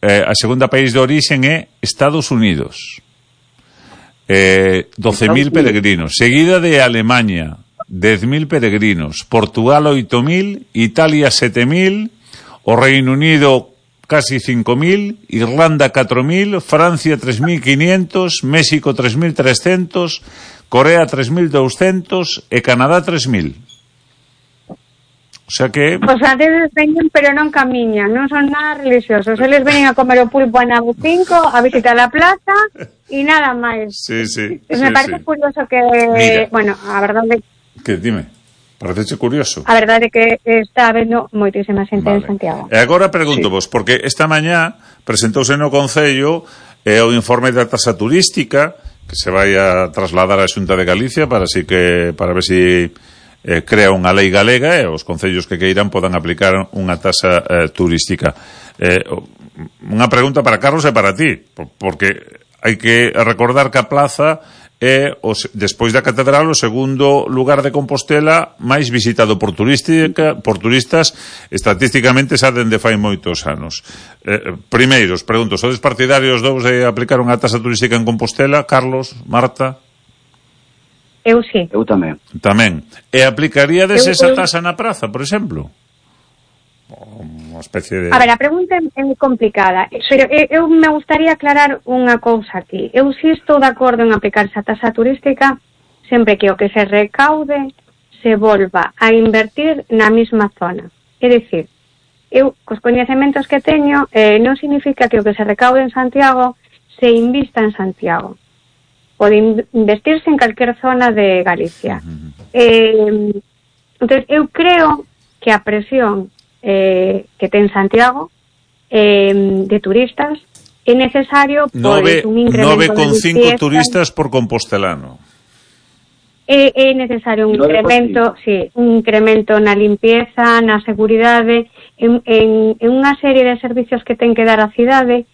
a segunda país de orixen é Estados Unidos. 12.000 peregrinos. Seguida de Alemania, 10.000 peregrinos. Portugal, 8.000. Italia, 7.000. O Reino Unido, casi 5.000. Irlanda, 4.000. Francia, 3.500. México, 3.300. Corea, 3.200. E Canadá, 3.000. O sea que... Os franceses veñen, pero non camiñan, non son nada religiosos. Eles veñen a comer o pulpo a Nabo 5, a visitar a plaza e nada máis. Sí. Me parece curioso que... Mira. Bueno, a verdade... Que dime, parecece curioso. A verdade é que está habendo moitísima xente en Santiago. E agora pregunto vos, porque esta mañá presentouse no Concello o informe da tasa turística que se vai a trasladar á Xunta de Galicia para ver si crea unha lei galega e os concellos que queiran podan aplicar unha tasa turística. Unha pregunta para Carlos e para ti, porque hai que recordar que a plaza é, despois da catedral, o segundo lugar de Compostela máis visitado por turistas estatísticamente xa dende fai moitos anos. Primeiro, os pregunto, sodes partidarios de aplicar unha tasa turística en Compostela? Carlos, Marta? Eu sí. Eu tamén. E aplicaríades esa tasa na praza, por exemplo? Unha especie de... A ver, a pregunta é complicada, pero eu me gustaría aclarar unha cousa aquí. Eu sí estou de acordo en aplicar esa tasa turística sempre que o que se recaude se volva a invertir na mesma zona. É dicir, eu, cos coñecementos que teño, non significa que o que se recaude en Santiago se invista en Santiago. Pode investirse en calquer zona de Galicia. Entón, eu creo que a presión que ten Santiago de turistas é necesario por un incremento 9,5 turistas por compostelano. É necesario un incremento, un incremento na limpieza, na seguridade, en unha serie de servicios que ten que dar a cidade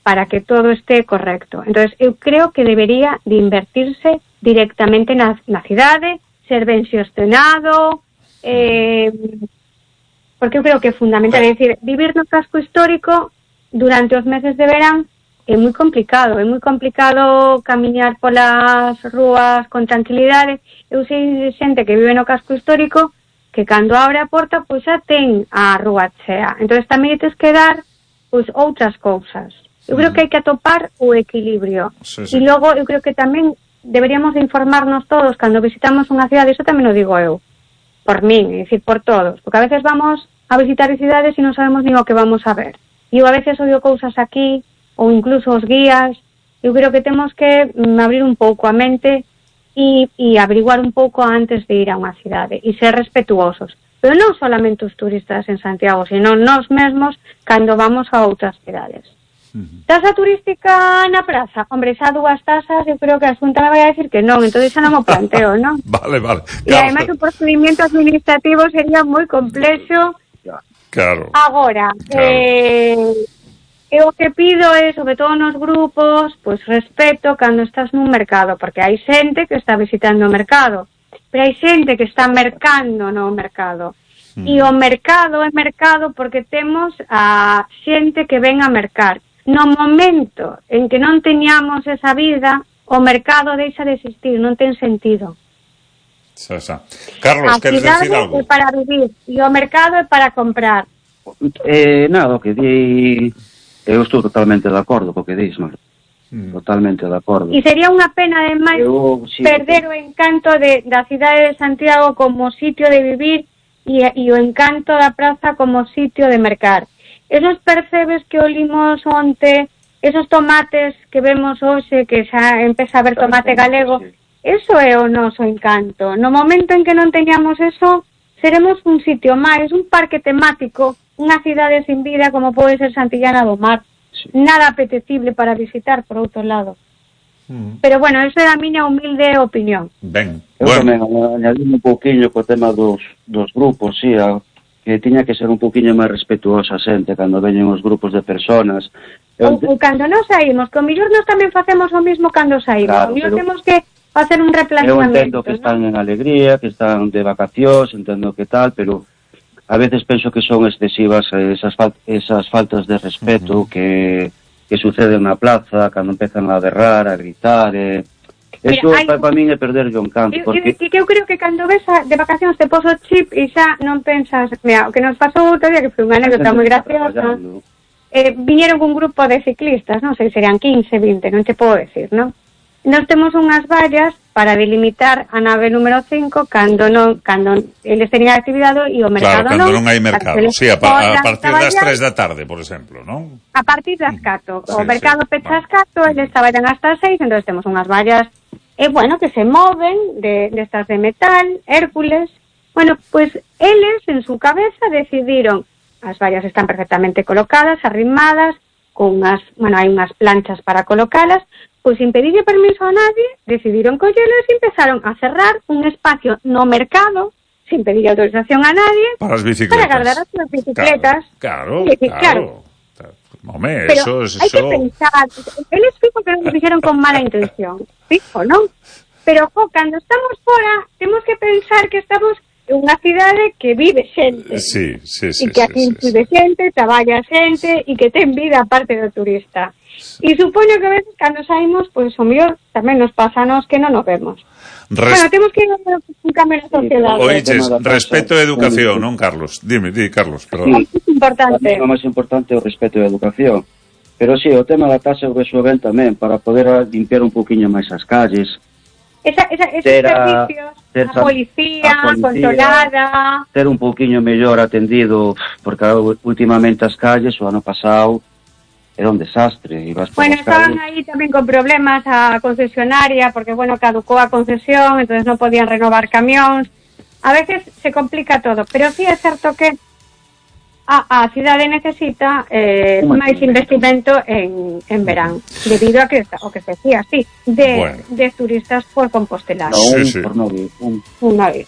para que todo esté correcto. Entonces, eu creo que debería de invertirse directamente na cidade, ser ben xestionado, porque eu creo que é fundamental. É dicir, vivir no casco histórico durante os meses de verán é moi complicado camiñar polas rúas con tranquilidade. Eu sei xente que vive no casco histórico que cando abre a porta, pois xa ten a rúa chea. Entón, tamén tens que dar pois outras cousas. Eu creo que hai que atopar o equilibrio. E logo, eu creo que tamén deberíamos de informarnos todos cando visitamos unha cidade, iso tamén o digo eu, por min, é dicir, por todos, porque a veces vamos a visitar cidades e non sabemos nin o que vamos a ver. E eu a veces odio cousas aquí, ou incluso os guías. Eu creo que temos que abrir un pouco a mente e averiguar un pouco antes de ir a unha cidade e ser respetuosos. Pero non solamente os turistas en Santiago, sino nós mesmos cando vamos a outras cidades. Tasa turística na praza? Hombre, xa dúas tasas, eu creo que a Xunta me vai a decir que non, entón xa non o planteo, non? Vale. E ademais o procedimento administrativo sería moi complexo. Claro. Agora, eu o que pido é, sobre todo nos grupos, pois respeto cando estás nun mercado, porque hai xente que está visitando o mercado, pero hai xente que está mercando no mercado. E o mercado é mercado porque temos a xente que ven a mercar. No momento en que non teñamos esa vida, o mercado deixa de existir, non ten sentido. Carlos, queres decir algo? A cidade é para vivir e o mercado é para comprar. Nada, o que di... Eu estou totalmente de acordo co que dis, Marta. Totalmente de acordo. E sería unha pena, ademais, perder o encanto da cidade de Santiago como sitio de vivir e o encanto da praza como sitio de mercar. Esos percebes que olimos onte, esos tomates que vemos hoxe, que xa empeza a ver tomate galego, eso é o noso encanto. No momento en que non teñamos eso, seremos un sitio máis, un parque temático, unha cidade sin vida como pode ser Santillana do Mar. Nada apetecible para visitar, por outro lado. Pero bueno, eso é a miña humilde opinión. Eu tamén añadí un pouquiño co tema dos grupos, que tiña que ser un pouquiño máis respetuosa a xente cando veñen os grupos de personas. Ou cando nos saímos, que o mellor nos tamén facemos o mismo cando saímos. Claro, o mellor temos que facer un replanteamento. Eu entendo que están en alegría, que están de vacacións, entendo que tal, pero a veces penso que son excesivas esas faltas de respeto que suceden na plaza, cando empezan a berrar, a gritar, eso para min é perder o encanto. Porque eu creo que cando ves de vacacións te poso chip e xa non pensas, mira, o que nos pasou outro día, que foi unha anécdota moi graciosa, viñeron un grupo de ciclistas, non sei, serían 15, 20, non te podo decir, non? Nos temos unhas vallas para delimitar a nave número 5 cando eles tenían actividade e o mercado non. Claro, cando non hai mercado. Sí, a partir das 3 da tarde, por exemplo, non? A partir das 4. O mercado pecha as 4, eles traballan hasta as 6, entón temos unhas vallas que se moven destas de metal, Hércules. Bueno, pues eles en su cabeza decidiron, as vallas están perfectamente colocadas, arrimadas, con hai unhas planchas para colocalas, pois sin pedirle permiso a nadie, decidiron collelas e empezaron a cerrar un espacio no mercado, sin pedir autorización a nadie, para as bicicletas. Para guardar as súas bicicletas. Claro. Home, pero eso... hai que pensar, eles fijo que non lo dixeron con mala intención, fijo, non? Pero, cando estamos fora, temos que pensar que estamos en unha cidade que vive xente. Sí. E que aquí vive xente, traballa xente, e que ten vida aparte do turista. E supoño que a veces cando saímos, pois o mellor tamén nos pasa a nos que non nos vemos. Bueno, temos que ir a un cambio na sociedade. Oiches, respeto e educación, non, Carlos? Di, Carlos, perdón. Sí, é importante. O máis importante é o respeto e a educación. Pero sí, o tema da taxa eu vexo ben tamén, para poder limpiar un poquinho máis as calles. Esos servicios, a policía controlada. Ter un poquinho mellor atendido, porque últimamente as calles, o ano pasado, era un desastre. Estaban aí tamén con problemas a concesionaria, porque, caducou a concesión, entonces non podían renovar camións. A veces se complica todo, pero sí é certo que a cidade necesita máis investimento en verán, debido a que o que se decía, de turistas por Compostela. Sí. Un 9.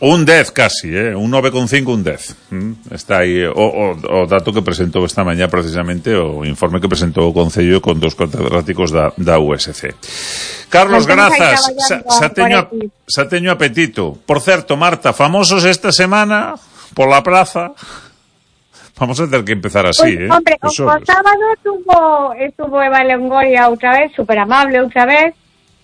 Un 10 casi, un 9,5, un 10. Está aí o dato que presentou esta mañá precisamente, o informe que presentou o Concello con dos catedráticos da USC. Carlos, grazas. Xa teño apetito. Por certo, Marta, famosos esta semana pola praza. Vamos a ter que empezar así, Hombre, o sábado estuvo Eva Longoria outra vez, super amable outra vez.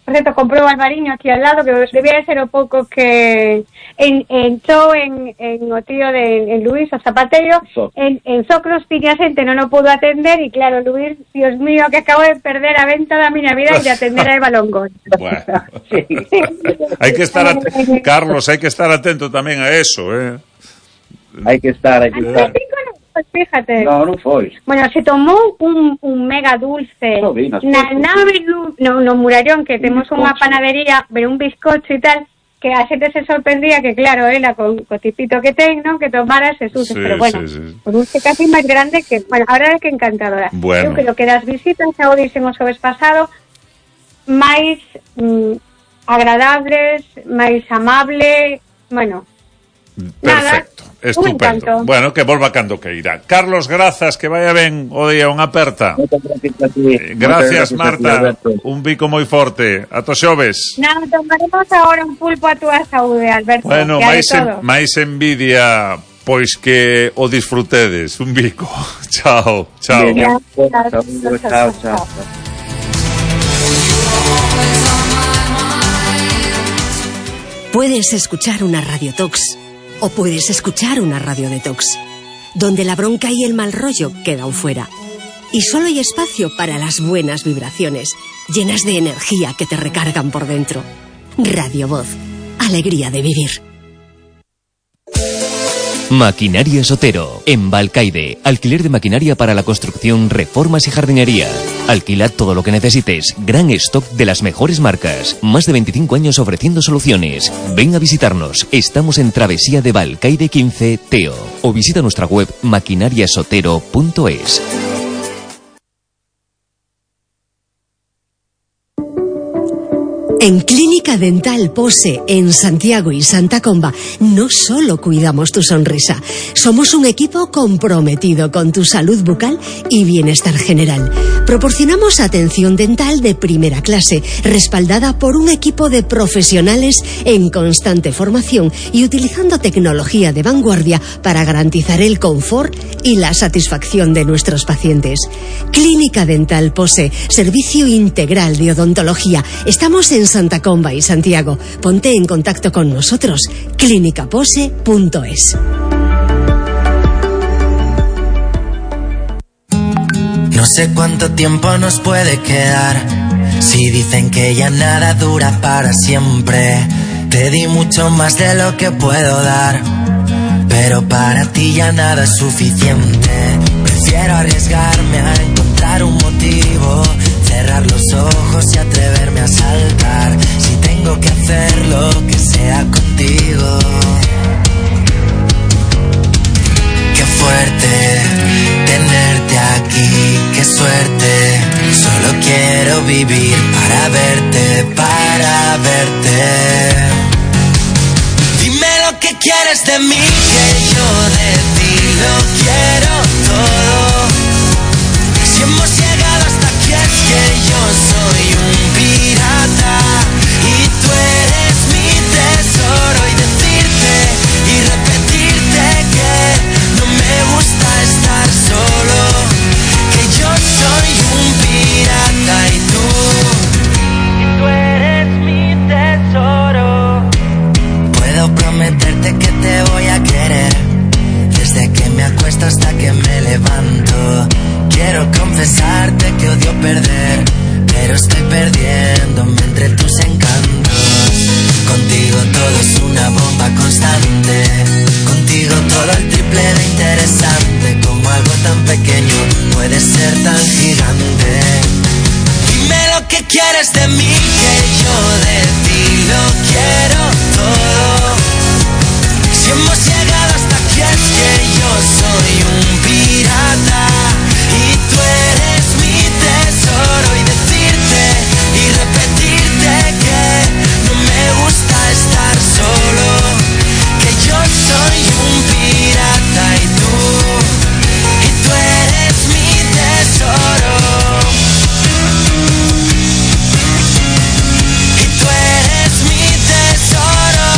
Por cierto, comprou o Alvariño aquí al lado, que debía ser o pouco que entrou en o tío de Luis, o Zapateiro. En Socros tiña xente, non o pudo atender, e claro, Luis, Dios mío, que acabo de perder a venta da miña vida e de atender a Eva Longoria. Bueno, hai que estar Carlos, hai que estar atento tamén a eso, Hai que estar. Pues fíjate. Non foi. Bueno, se tomou un mega dulce na nave no Murallón, que temos unha panadería, pero un bizcocho e tal, que a xente se sorprendía que, claro, ela con o tipito que ten, non, que tomara ese dulce, pero bueno, un dulce casi máis grande que, a verdade é que encantadora. Eu creo que das visitas xa o dixemos o vez pasado, máis agradables, máis amable, perfecto, estupendo. Bueno, que volva cando que irá. Carlos, grazas, que vaya ben o día, unha aperta. Gracias, Marta. Un bico moi forte. Ata xoves. Tomaremos agora un pulpo a túa saúde, Alberto. Bueno, máis envidia, pois que o disfrutedes. Un bico. Chao. Chao. Puedes escuchar una radiotox o puedes escuchar una radio detox, donde la bronca y el mal rollo quedan fuera. Y solo hay espacio para las buenas vibraciones, llenas de energía que te recargan por dentro. Radio Voz, alegría de vivir. Maquinaria Sotero, en Balcaide. Alquiler de maquinaria para la construcción, reformas y jardinería. Alquila todo lo que necesites. Gran stock de las mejores marcas. Más de 25 años ofreciendo soluciones. Ven a visitarnos. Estamos en Travesía de Balcaide 15, Teo. O visita nuestra web maquinariasotero.es. En Clínica Dental Pose, en Santiago y Santa Comba, no solo cuidamos tu sonrisa, somos un equipo comprometido con tu salud bucal y bienestar general. Proporcionamos atención dental de primera clase, respaldada por un equipo de profesionales en constante formación y utilizando tecnología de vanguardia para garantizar el confort y la satisfacción de nuestros pacientes. Clínica Dental Pose, servicio integral de odontología. Estamos en Santa Comba y Santiago. Ponte en contacto con nosotros. clinicapose.es. No sé cuánto tiempo nos puede quedar. Si dicen que ya nada dura para siempre. Te di mucho más de lo que puedo dar, pero para ti ya nada es suficiente. Prefiero arriesgarme a encontrar un motivo, cerrar los ojos y atreverme a saltar. Si tengo que hacerlo, que sea contigo. Qué fuerte tenerte aquí, qué suerte. Solo quiero vivir para verte, para verte. Dime lo que quieres de mí, que yo de ti lo quiero todo. Si hemos llegado hasta aquí es que yo soy un pirata y tú eres mi tesoro. Y decirte y repetirte que no me gusta estar solo, que yo soy un pirata y tú eres mi tesoro. Puedo prometerte que te voy a querer desde que me acuesto hasta que me levanto. Quiero confesarte que odio perder, pero estoy perdiéndome entre tus encantos. Contigo todo es una bomba constante, contigo todo el triple de interesante. Como algo tan pequeño puede ser tan gigante. Dime lo que quieres de mí, que yo de ti lo quiero todo. Si hemos llegado hasta aquí es que yo soy un pirata y tú eres mi tesoro. Y decirte y repetirte que no me gusta estar solo, que yo soy un pirata y tú eres mi tesoro. Y tú eres mi tesoro.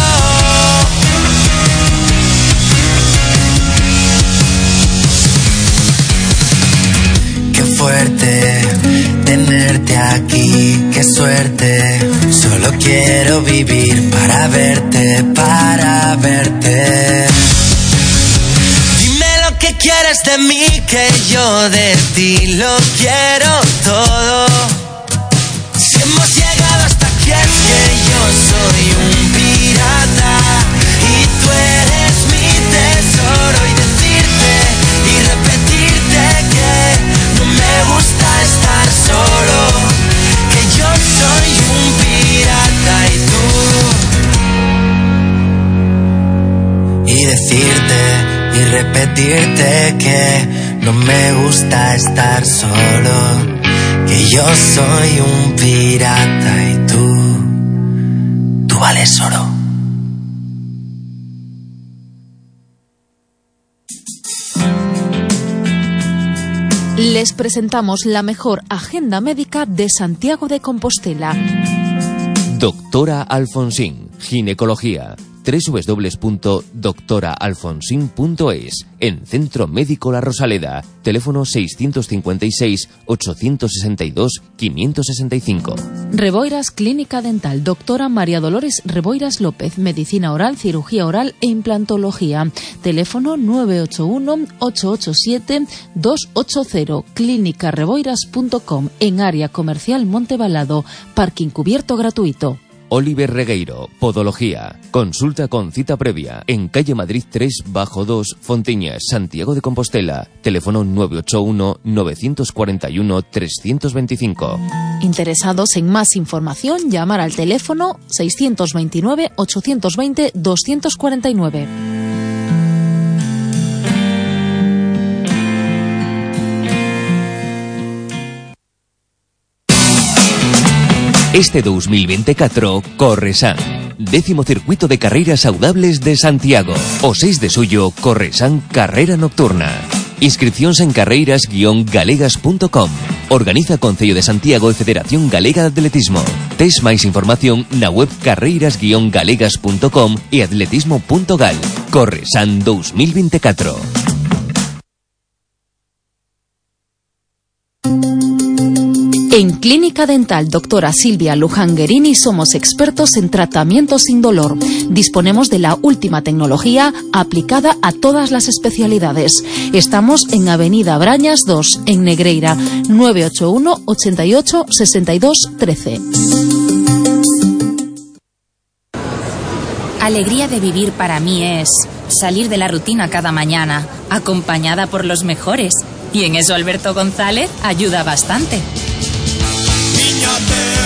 Qué fuerte tenerte aquí, qué suerte. Solo quiero vivir para verte, para verte. Dime lo que quieres de mí, que yo de ti lo quiero todo. Si hemos llegado hasta aquí es que yo soy un pirata y tú eres mi tesoro. Y decirte y repetirte que no me gusta estar solo, que yo soy un pirata y tú. Y decirte y repetirte que no me gusta estar solo, que yo soy un pirata y tú vales oro. Les presentamos la mejor agenda médica de Santiago de Compostela. Doctora Alfonsín, ginecología. www.doctoraalfonsin.es. En Centro Médico La Rosaleda. Teléfono 655-862-565. Reboiras Clínica Dental. Doctora María Dolores Reboiras López. Medicina oral, cirugía oral e implantología. Teléfono 981-887-280. clínicareboiras.com. En área comercial Montebalado. Parking cubierto gratuito. Oliver Regueiro, Podología. Consulta con cita previa en calle Madrid 3-2, Fontiñas, Santiago de Compostela. Teléfono 981-941-325. Interesados en más información, llamar al teléfono 629-820-249. Este 2024, Corresan. 10º circuito de carreiras saudables de Santiago. O 6 de suyo, Corresan Carrera Nocturna. Inscripcións en carreiras-galegas.com. Organiza Concello de Santiago e Federación Galega de Atletismo. Tes máis información na web carreiras-galegas.com e atletismo.gal. Corresan 2024. En Clínica Dental Doctora Silvia Luján Guerini somos expertos en tratamiento sin dolor. Disponemos de la última tecnología aplicada a todas las especialidades. Estamos en Avenida Brañas 2, en Negreira, 981 88 62 13. Alegría de vivir para mí es salir de la rutina cada mañana, acompañada por los mejores. Y en eso Alberto González ayuda bastante.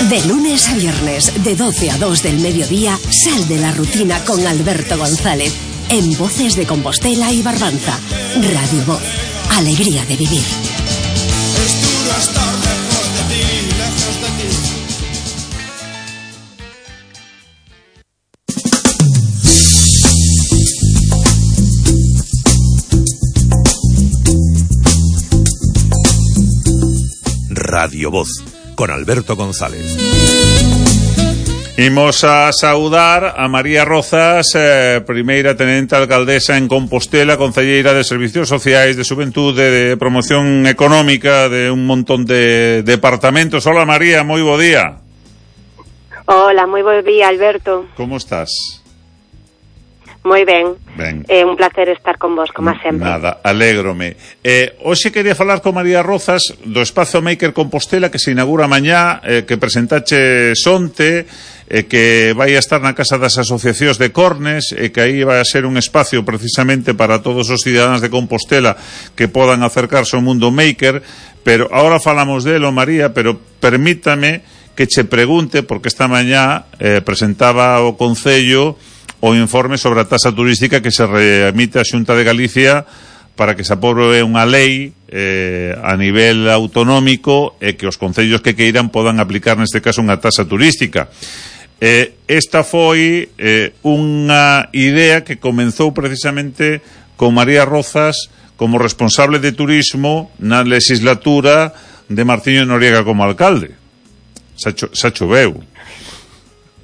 De lunes a viernes, de 12 a 2 del mediodía, sal de la rutina con Alberto González, en Voces de Compostela y Barbanza. Radio Voz, alegría de vivir. Radio Voz, con Alberto González. Imos a saudar a María Rozas, primeira tenente alcaldesa en Compostela, concelleira de Servicios Sociais, de Xuventude, de Promoción Económica, de un montón de departamentos. Hola María, moi bo día. Hola, moi bo día, Alberto. Como estás? Moi ben. Ben. Un placer estar con vos, como sempre. Nada, alégrome. Hoxe quería falar con María Rozas do Espazo Maker Compostela que se inaugura mañá, que presentache onte, que vai a estar na Casa das Asociacións de Cornes, e que aí vai a ser un espacio precisamente para todos os cidadáns de Compostela que podan acercarse ao mundo maker. Pero ahora falamos delo, María, pero permítame que che pregunte, porque esta mañá presentaba o Concello o informe sobre a taxa turística que se remite á Xunta de Galicia para que se aprobe unha lei a nivel autonómico e que os concellos que queiran podan aplicar neste caso unha taxa turística. Esta foi unha idea que comenzou precisamente con María Rozas como responsable de turismo na legislatura de Martiño Noriega como alcalde. Xa choveu.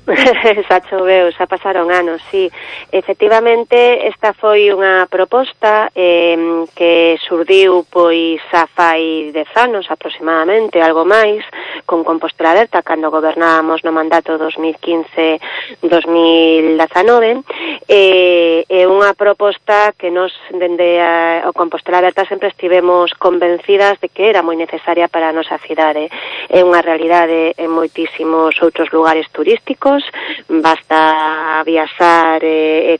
Xa choveu, xa pasaron anos, sí. Efectivamente, esta foi unha proposta que surdiu pois xa fai 10 anos aproximadamente, algo máis, con Compostela Alerta, cando gobernábamos no mandato 2015-2019, é unha proposta que nos, dende o Compostela Alerta, sempre estivemos convencidas de que era moi necesaria para a nosa cidade. É unha realidade en moitísimos outros lugares turísticos. Basta viaxar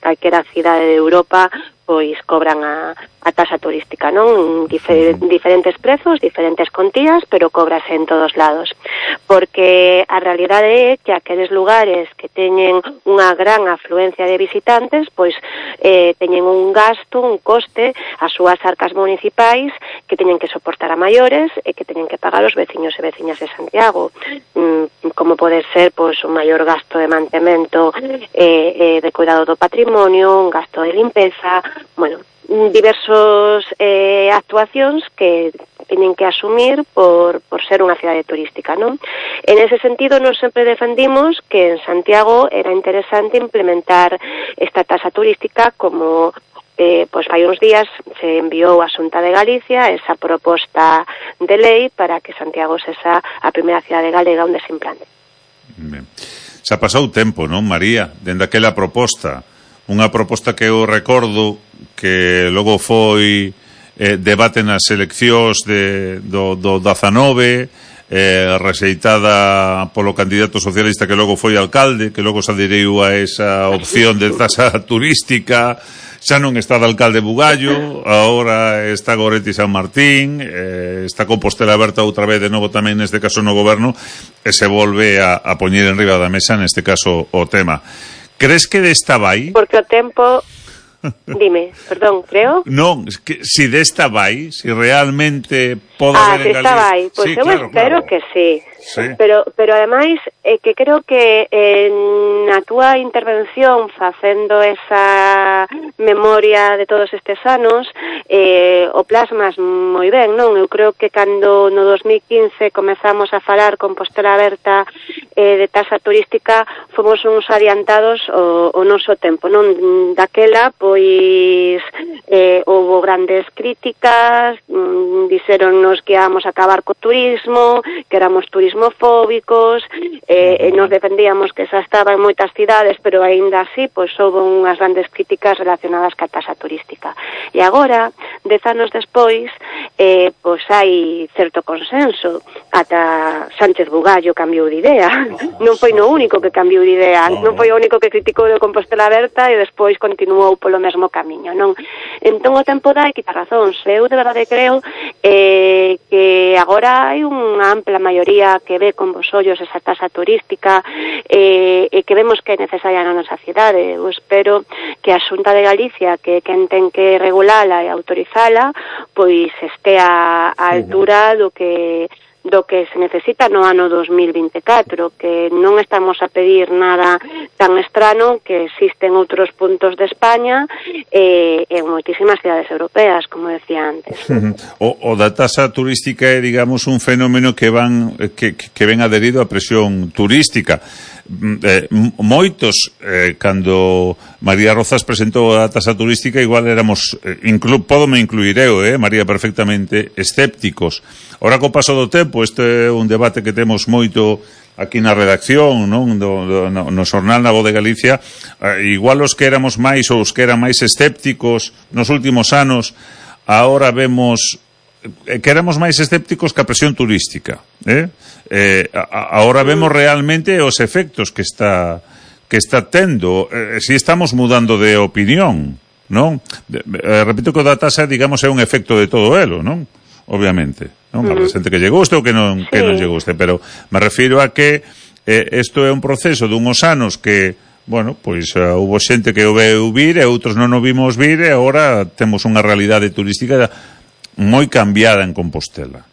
calquera cidade de Europa, pois cobran a taxa turística, non? Diferentes prezos, diferentes contías, pero cobrase en todos lados. Porque a realidade é que aqueles lugares que teñen unha gran afluencia de visitantes, pois teñen un gasto, un coste, as súas arcas municipais que teñen que soportar a maiores e que teñen que pagar os veciños e veciñas de Santiago. Como pode ser, pois, un maior gasto de mantemento de cuidado do patrimonio, un gasto de limpeza, bueno, diversos actuacións que teñen que asumir por ser unha cidade turística, non? En ese sentido, nos sempre defendimos que en Santiago era interesante implementar esta taxa turística como pois fai uns días se enviou a Xunta de Galicia esa proposta de lei para que Santiago sexa a primeira cidade galega onde se implante. Ben. Xa pasou tempo, non, María, dende aquela proposta, unha proposta que eu recordo que logo foi debate nas eleccións do 19, rexeitada polo candidato socialista que logo foi alcalde, que logo se adheriu a esa opción de taxa turística. Xa non está de alcalde Bugallo, agora está Goretti San Martín, está Compostela Aberta outra vez de novo tamén neste caso no goberno, e se volve a poñer en riba da mesa neste caso o tema. Crees que desta vai? Porque o tempo Dime, perdón, creo? Non, que si desta vai, si realmente pode haber en Galicia. Vai, pois eu espero que sí. Pero ademais, que creo que na túa intervención facendo esa memoria de todos estes anos, o plasmas moi ben, non? Eu creo que cando no 2015 comezamos a falar Compostela Aberta de taxa turística, fomos uns adiantados o noso tempo, non? Daquela, pois, houve grandes críticas, dixéronnos que íamos a acabar co turismo, que éramos turismofóbicos, nos defendíamos que xa estaba en moitas cidades, pero aínda así, pois, houve unhas grandes críticas relacionadas ca taxa turística. E agora, 10 anos despois, pois hai certo consenso. Ata Sánchez Bugallo cambiou de idea. Non foi no único que cambiou de idea, non foi o único que criticou de Compostela Aberta e despois continuou polo mesmo camiño, non? Entón o tempo dá e quita razóns. Eu de verdade creo que agora hai unha ampla maioría que ve con bos ollos esa taxa turística e que vemos que é necesaria na nosa cidade. Eu espero que a Xunta de Galicia, que quen ten que regulala e autorizala, pois estea á altura do que se necesita no ano 2024, que non estamos a pedir nada tan estrano, que existen outros puntos de España e moitísimas cidades europeas, como decía antes. O da taxa turística é, digamos, un fenómeno que ven adherido á presión turística. Moitos, cando María Rozas presentou a taxa turística, igual éramos, pódome incluir eu, María, perfectamente escépticos. Ora, co paso do tempo, este é un debate que temos moito aquí na redacción, non? No xornal Na Voz de Galicia, igual os que éramos máis ou os que eran máis escépticos nos últimos anos, agora vemos que éramos máis escépticos que a presión turística, agora vemos realmente os efectos que está tendo, si estamos mudando de opinión, non? Repito que o da taxa, digamos, é un efecto de todo elo, non? Obviamente, non? A xente que lle guste ou que non lle guste, pero me refiro a que isto é un proceso dunhos anos que, bueno, pois houve xente que o veu vir e outros non o vimos vir e agora temos unha realidade turística moi cambiada en Compostela.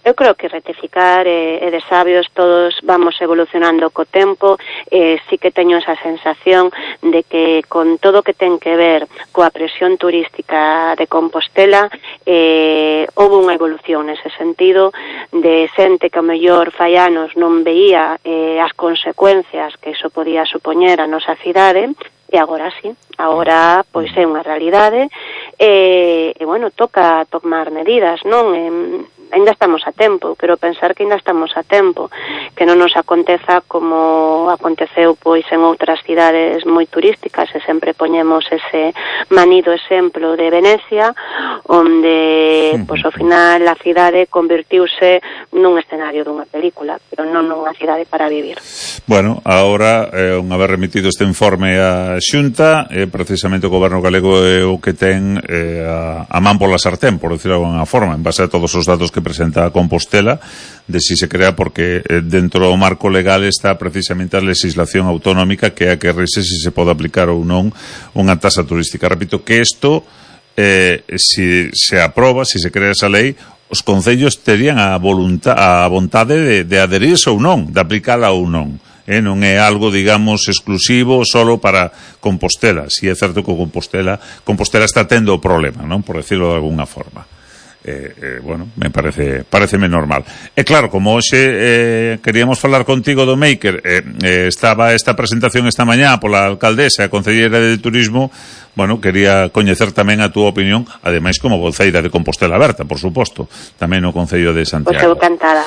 Eu creo que rectificar e de sabios todos vamos evolucionando co tempo. Sí que teño esa sensación de que con todo que ten que ver coa presión turística de Compostela houve unha evolución nese sentido de xente que ao mellor fai anos non veía as consecuencias que iso podía supoñer a nosa cidade. E agora sí, agora pois é unha realidade e bueno, toca tomar medidas, non? Ainda estamos a tempo, quero pensar que ainda estamos a tempo, que non nos aconteza como aconteceu pois en outras cidades moi turísticas, e sempre poñemos ese manido exemplo de Venecia, onde pois ao final a cidade convertiuse nun escenario dunha película, pero non nunha cidade para vivir. Bueno, agora, unha vez remitido este informe á Xunta, precisamente o Goberno galego é o que ten a man pola sartén, por decirlo de alguna forma, en base a todos os datos que presenta a Compostela, de si se crea, porque dentro do marco legal está precisamente a legislación autonómica que é a que rese se se pode aplicar ou non unha taxa turística. Repito que isto, si se aproba, si se crea esa lei, os concellos terían a vontade de adherirse ou non, de aplicala ou non. Non é algo, digamos, exclusivo solo para Compostela. Si é certo que Compostela está tendo o problema, non? Por decirlo de alguna forma. Bueno, me pareceme normal. E claro, como hoxe queríamos falar contigo do Maker, estaba esta presentación esta mañá pola alcaldesa e a concelleira de turismo, bueno, quería coñecer tamén a túa opinión, ademais como voceira de Compostela Aberta, por suposto, tamén no Concello de Santiago. Pois eu cantada.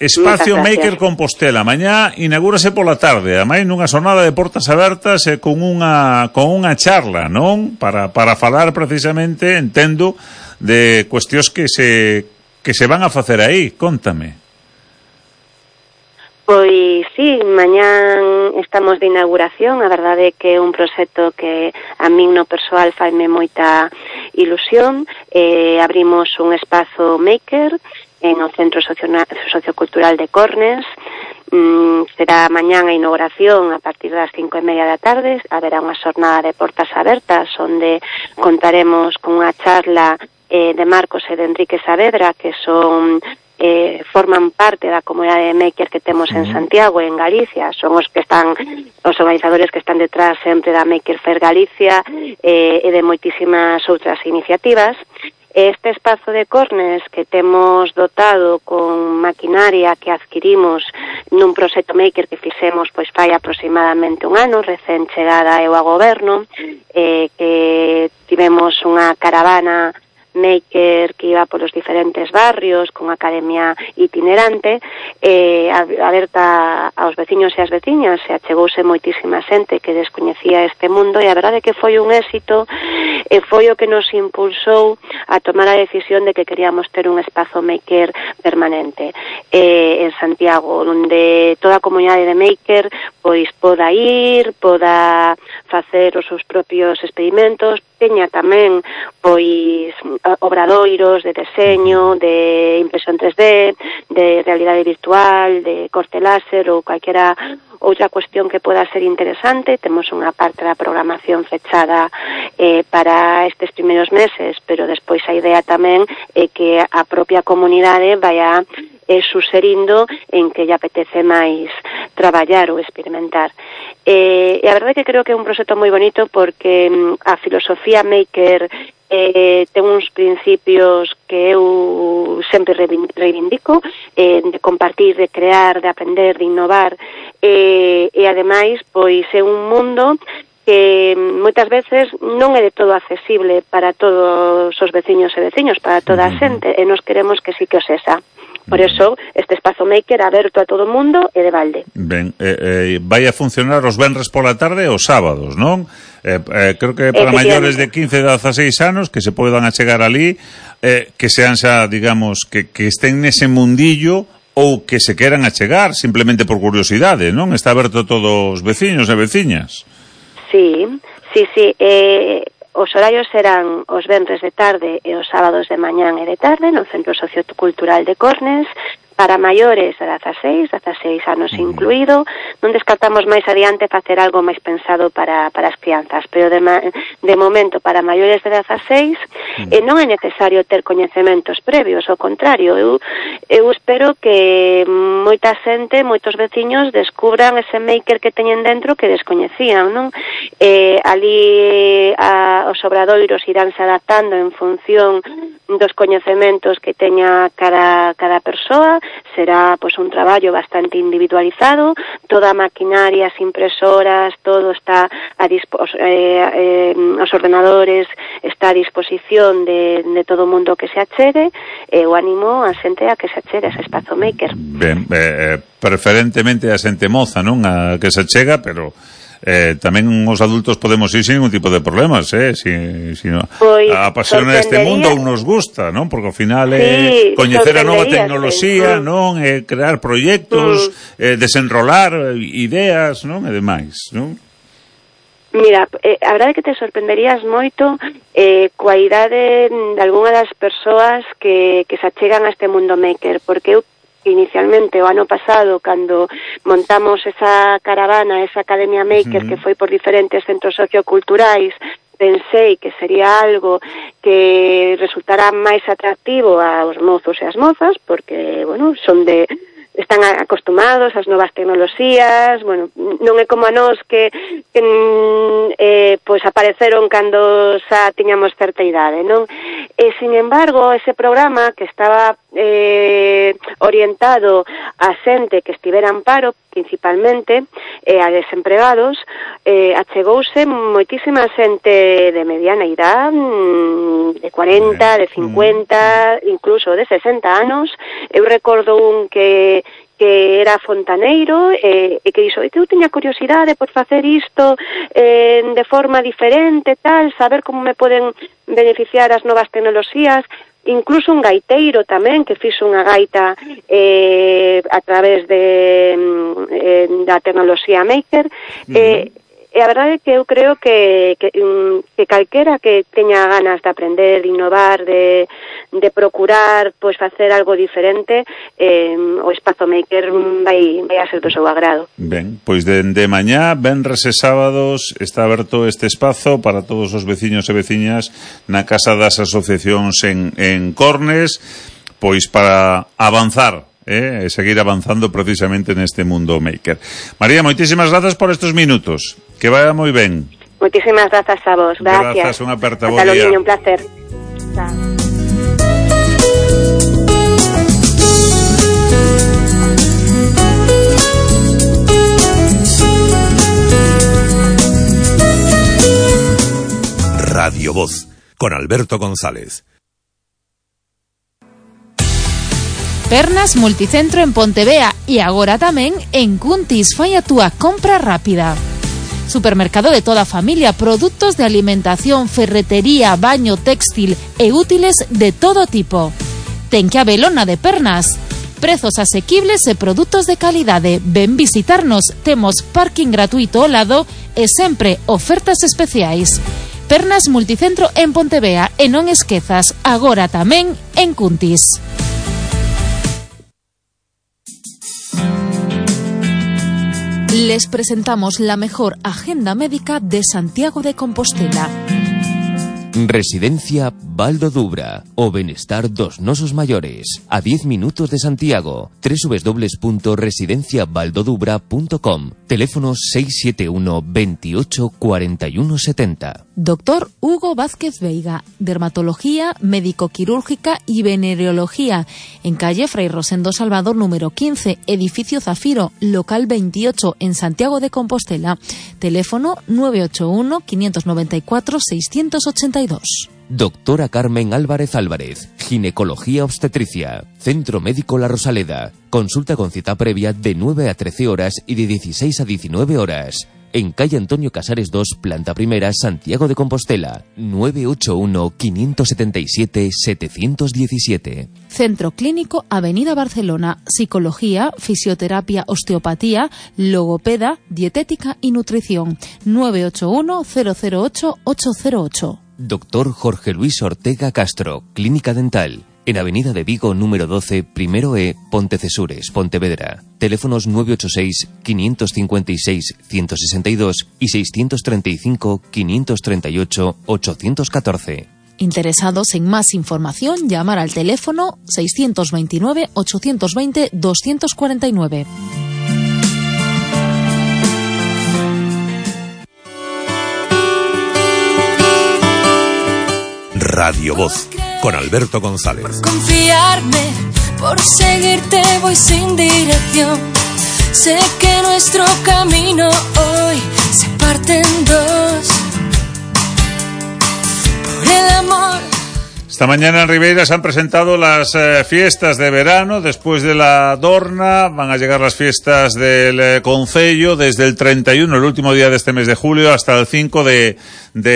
Espacio Maker Compostela, mañá inaugúrase pola tarde, ademais nunha xornada de portas abertas con unha charla, non? Para falar precisamente, entendo, de cuestións que se van a facer aí. Cóntame. Pois sí, mañán estamos de inauguración. A verdade é que é un proxecto que a min no persoal faime moita ilusión. Abrimos un espazo Maker en o Centro Sociocultural de Cornes, será mañán a inauguración a partir das 5:30 da tarde. Haberá unha xornada de portas abertas onde contaremos con unha charla de Marcos e de Enrique Saavedra, que son forman parte da comunidade de maker que temos en Santiago e en Galicia. Son os organizadores que están detrás sempre da Maker Fair Galicia e de moitísimas outras iniciativas. Este espazo de Cornes que temos dotado con maquinaria que adquirimos nun proxecto maker que fixemos pois fai aproximadamente un ano, recén chegada eu a goberno, que tivemos unha caravana maker que iba polos diferentes barrios con academia itinerante aberta aos veciños e as veciñas, e achegouse moitísima xente que descoñecía este mundo, e a verdade é que foi un éxito e foi o que nos impulsou a tomar a decisión de que queríamos ter un espazo maker permanente en Santiago, onde toda a comunidade de maker pois poda ir, poda facer os seus propios experimentos, teña tamén pois obradoiros de deseño, de impresión 3D, de realidade virtual, de corte láser ou calquera outra cuestión que poda ser interesante. Temos unha parte da programación fechada para estes primeiros meses, pero despois a idea tamén é que a propia comunidade vaya suserindo en que lle apetece máis traballar ou experimentar. E a verdade é que creo que é un proxecto moi bonito porque a filosofía maker ten uns principios que eu sempre reivindico, de compartir, de crear, de aprender, de innovar, e ademais pois é un mundo que moitas veces non é de todo accesible para todos os veciños e veciños, para toda a xente, e nos queremos que sí que o sexa. Por eso, este espazo maker aberto a todo o mundo e de balde. Ben, vai a funcionar os venres pola tarde e os sábados, non? Creo que para maiores de 15 e 16 anos que se podan achegar ali, que sean xa, digamos, que estén nese mundillo ou que se queran achegar simplemente por curiosidade, non? Está aberto a todos os veciños e veciñas. Sí. Os horarios serán os venres de tarde e os sábados de mañán e de tarde no Centro Sociocultural de Cornes, para maiores de 16 anos incluído. Non descartamos máis adiante facer algo máis pensado para as crianzas, pero de momento para maiores de 16 non é necesario ter coñecementos previos, ao contrario, eu espero que moita xente, moitos veciños descubran ese maker que teñen dentro que descoñecían, non? Ali os obradoiros iránse adaptando en función dos coñecementos que teña cada persoa. Será pois un traballo bastante individualizado, toda a maquinaria, as impresoras, todo está os ordenadores está a disposición de todo o mundo que se achegue, e o animo a xente a que se achegue a ese espazo maker. Ben, preferentemente a xente moza, non? A que se achega, pero tamén os adultos podemos ir sin ningún tipo de problemas, si no, a pasión este mundo nos gusta, non? Porque ao final coñecer a nova tecnoloxía, non? Crear proxectos, desenrolar ideas, non? E demais, non? Mira, a verdade é que te sorprenderías moito coa idade de algunha das persoas que se achegan a este mundo maker, porque eu inicialmente o ano pasado, cando montamos esa caravana, esa academia maker que foi por diferentes centros socioculturais, pensei que sería algo que resultara máis atractivo aos mozos e as mozas, porque, bueno, están acostumados ás novas tecnoloxías, bueno, non é como a nós que pois apareceron cando xa tiñamos certa idade, non? E, sin embargo, ese programa que estaba orientado a xente que estivera en paro, principalmente, a desempregados, achegouse moitísima xente de mediana idade, de 40, de 50, incluso de 60 anos. Eu recordo un que era fontaneiro e que dixo, que eu teña curiosidade por facer isto de forma diferente, tal, saber como me poden beneficiar as novas tecnoloxías. Incluso un gaiteiro tamén que fixo unha gaita a través da tecnoloxía maker. E a verdade é que eu creo que calquera que teña ganas de aprender, de innovar, de procurar pois facer algo diferente, o Espazo Maker vai a ser do seu agrado. Ben, pois de mañá, venres e sábados está aberto este espazo para todos os veciños e veciñas na Casa das Asociacións en Cornes, pois para avanzar e seguir avanzando precisamente neste mundo maker. María, moitísimas grazas por estes minutos. Que vaya moi ben. Moitísimas grazas a vos. Gracias. Grazas, unha aperta, bo día. Hasta día. Un placer. Chao. Radio Voz, con Alberto González. Pernas Multicentro en Pontevea e agora tamén en Cuntis. Fai a túa compra rápida. Supermercado de toda a familia, produtos de alimentación, ferretería, baño, textil e útiles de todo tipo. Ten que habelo na de Pernas. Prezos asequibles e produtos de calidade. Ven visitarnos, temos parking gratuito ao lado e sempre ofertas especiais. Pernas Multicentro en Pontevea e non esquezas, agora tamén en Cuntis. Les presentamos la mejor agenda médica de Santiago de Compostela. Residencia Val do Dubra, o benestar dos nosos maiores, a 10 minutos de Santiago. www.residenciavaldodubra.com. Teléfono 671 28 41 70. Doctor Hugo Vázquez Veiga, dermatología, médico-quirúrgica y venereología, en calle Fray Rosendo Salvador número 15, edificio Zafiro, local 28, en Santiago de Compostela. Teléfono 981 594 682. Doctora Carmen Álvarez Álvarez, ginecología obstetricia, Centro Médico La Rosaleda. Consulta con cita previa de 9 a 13 horas y de 16 a 19 horas. En calle Antonio Casares 2, planta primera, Santiago de Compostela. 981 577 717. Centro Clínico Avenida Barcelona. Psicología, fisioterapia, osteopatía, logopeda, dietética y nutrición. 981 008 808. Doctor Jorge Luis Ortega Castro, Clínica Dental. En Avenida de Vigo, número 12, primero E, Pontecesures, Pontevedra. Teléfonos 986-556-162 y 635-538-814. Interesados en más información, llamar al teléfono 629-820-249. Radio Voz, con Alberto González. Por confiarme, por seguirte voy sin dirección. Sé que nuestro camino hoy se parte en dos. Por el amor. Esta mañana en Ribeira se han presentado las fiestas de verano. Después de la Dorna van a llegar las fiestas del Concello desde el 31, el último día de este mes de julio, hasta el 5 de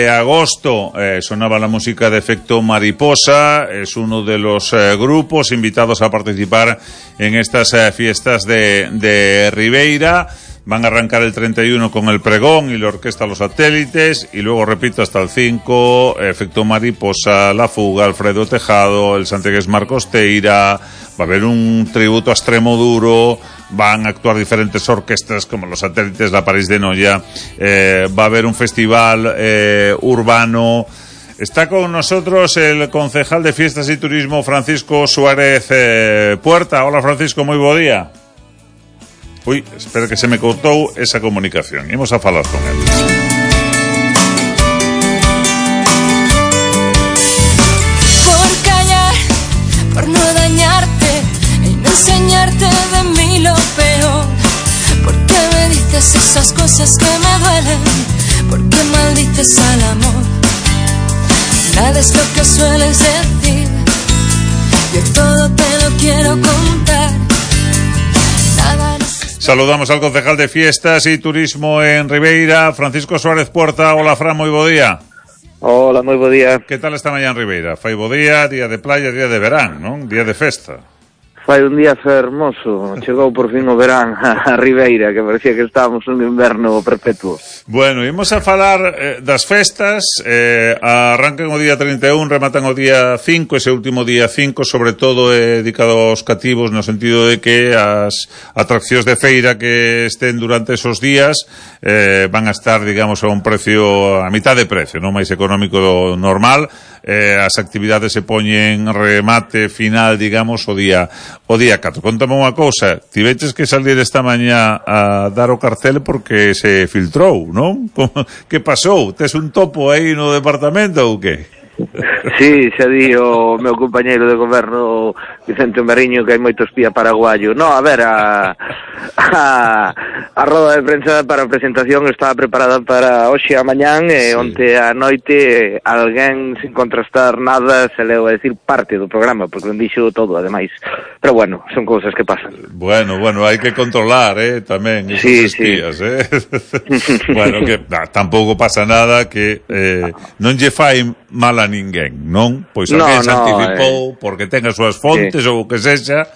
agosto. Sonaba la música de Efecto Mariposa. Es uno de los grupos invitados a participar en estas fiestas de Ribeira. Van a arrancar el 31 con el pregón y la orquesta Los Satélites, y luego, repito, hasta el 5, Efecto Mariposa, La Fuga, Alfredo Tejado, el santiagués Marcos Teira. Va a haber un tributo a Extremoduro, van a actuar diferentes orquestas como Los Satélites, La París de Noia, va a haber un festival urbano. Está con nosotros el concejal de Fiestas y Turismo, Francisco Suárez Puerta. Hola, Francisco, moi bo día. Uy, espera que se me cortou esa comunicación. Imos a falar con él. Por callar, por no dañarte y no enseñarte de mí lo peor. ¿Por qué me dices esas cosas que me duelen? ¿Por qué maldices al amor? Nada es lo que sueles decir. Yo todo te lo quiero contar. Nada. Saludamos al concejal de Fiestas y Turismo en Ribeira, Francisco Suárez Puerta. Hola, Fran, moi bo día. Hola, moi bo día. Que tal esta mañá en Ribeira? Fai bo día de playa, día de verán, non? Día de festa. Fai un día fermoso, chegou por fin o verán a Ribeira, que parecía que estábamos nun inverno perpetuo. Bueno, imos a falar das festas, arrancan o día 31, rematan o día 5, ese último día 5, sobre todo dedicado aos cativos, no sentido de que as atraccións de feira que estén durante esos días van a estar, digamos, a un precio, a mitad de precio, non máis económico do normal. As actividades se poñen remate final, digamos, o día 4. Contame unha cousa, tiveches que salir esta mañá a dar o cartel porque se filtrou, non? Que pasou? Tes un topo aí no departamento ou que? Sí, xa di o meu compañeiro de goberno Vicente Mariño que hai moito espía paraguayo. No, a ver, a roda de prensa para a presentación estaba preparada para hoxe a mañán e onte a noite alguén sin contrastar nada se leu a decir parte do programa porque non dixo todo, ademais. Pero bueno, son cousas que pasan. Bueno, hai que controlar, tamén esos espías, Bueno, que tampouco pasa nada que non lle fai mal a ninguén, non? Pois alguén se anticipou porque ten as súas fontes ou o que sexa,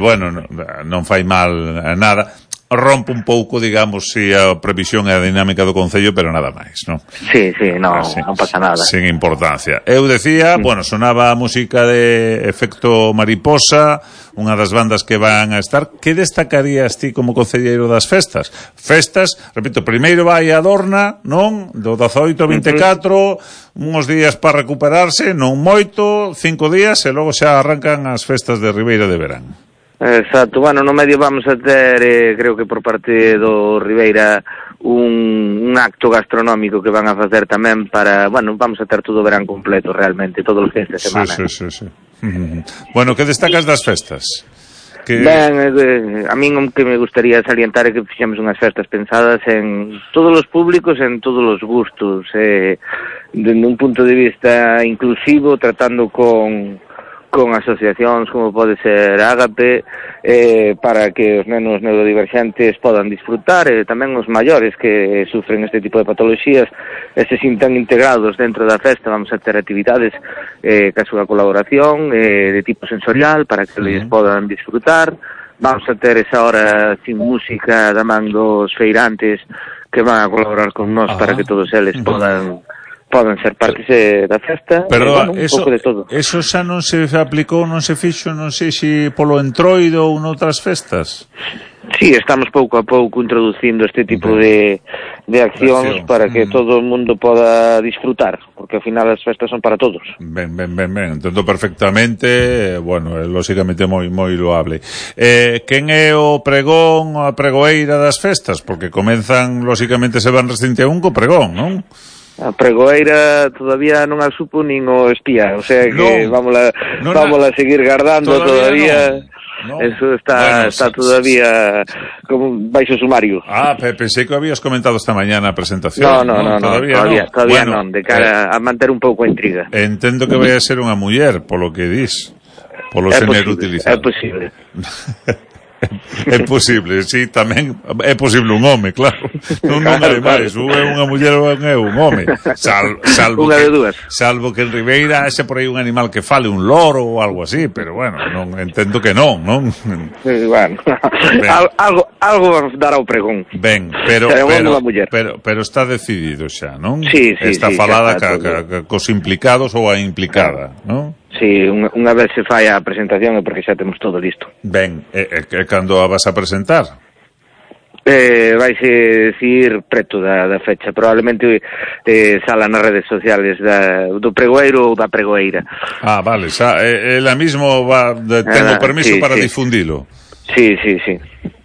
bueno, non fai mal a nada. Rompe un pouco, digamos, si a previsión e a dinámica do Concello, pero nada máis, non? Sí, non pasa nada. Sin importancia. Eu decía, bueno, sonaba a música de Efecto Mariposa, unha das bandas que van a estar. Que destacarías ti como concelleiro das festas? Festas, repito, primeiro vai a Dorna, non? Do 18 ao 24, uns días para recuperarse, non moito, 5 días, e logo xa arrancan as festas de Ribeira de Verán. Exacto, bueno, no medio vamos a ter, creo que por parte do Ribeira, un acto gastronómico que van a facer tamén para, bueno, vamos a ter todo o verán completo realmente, todos os fins de semana. Sí. Bueno, que destacas das festas? Ben, a min o que me gustaría salientar é que fixemos unhas festas pensadas en todos os públicos, en todos os gustos, dende un punto de vista inclusivo, tratando con asociacións como pode ser Ágape, para que os nenos neurodiverxentes podan disfrutar, e tamén os maiores que sufren este tipo de patoloxías se sintan integrados dentro da festa. Vamos a ter actividades ca súa colaboración de tipo sensorial para que eles podan disfrutar. Vamos a ter esa hora sin música da man dos feirantes que van a colaborar con nós para que todos eles podan ser partes da festa. Pero bueno, un pouco de todo. Eso xa non se aplicou, non se fixo, non sei se polo Entroido ou noutras festas? Sí, estamos pouco a pouco introducindo este tipo de accións para que todo o mundo poda disfrutar, porque ao final as festas son para todos. Ben, entendo perfectamente, bueno, lóxicamente moi loable. Quen é o pregón, a pregoeira das festas? Porque comenzan, lóxicamente se van restinte a un co pregón, non? A pregoeira todavía non a supo nin o espía, o sea que vámola seguir guardando todavía. No. Eso está todavía como baixo sumario. Pensei que habías comentado esta mañana a presentación. No, todavía non, de cara a manter un pouco a intriga. Entendo que vai a ser unha muller, polo que dis, polo xénero utilizado. É posible. É posible, sí, tamén é posible un home, claro. Non hai máis, unha muller ou un home. Salvo que en Ribeira haxe por aí un animal que fale, un loro ou algo así, pero bueno, non entendo que non. Bueno, algo dará o pregón. Ben, pero está decidido xa, non? Sí. Está falada cos implicados ou a implicada, non? Sí, unha vez se fai a presentación é porque xa temos todo listo. Ben, cando a vas a presentar? Vaise decir preto da fecha, probablemente sala nas redes sociales do pregoeiro ou da pregoeira. Vale, xa, ela mismo ten o permiso para difundilo. Sí.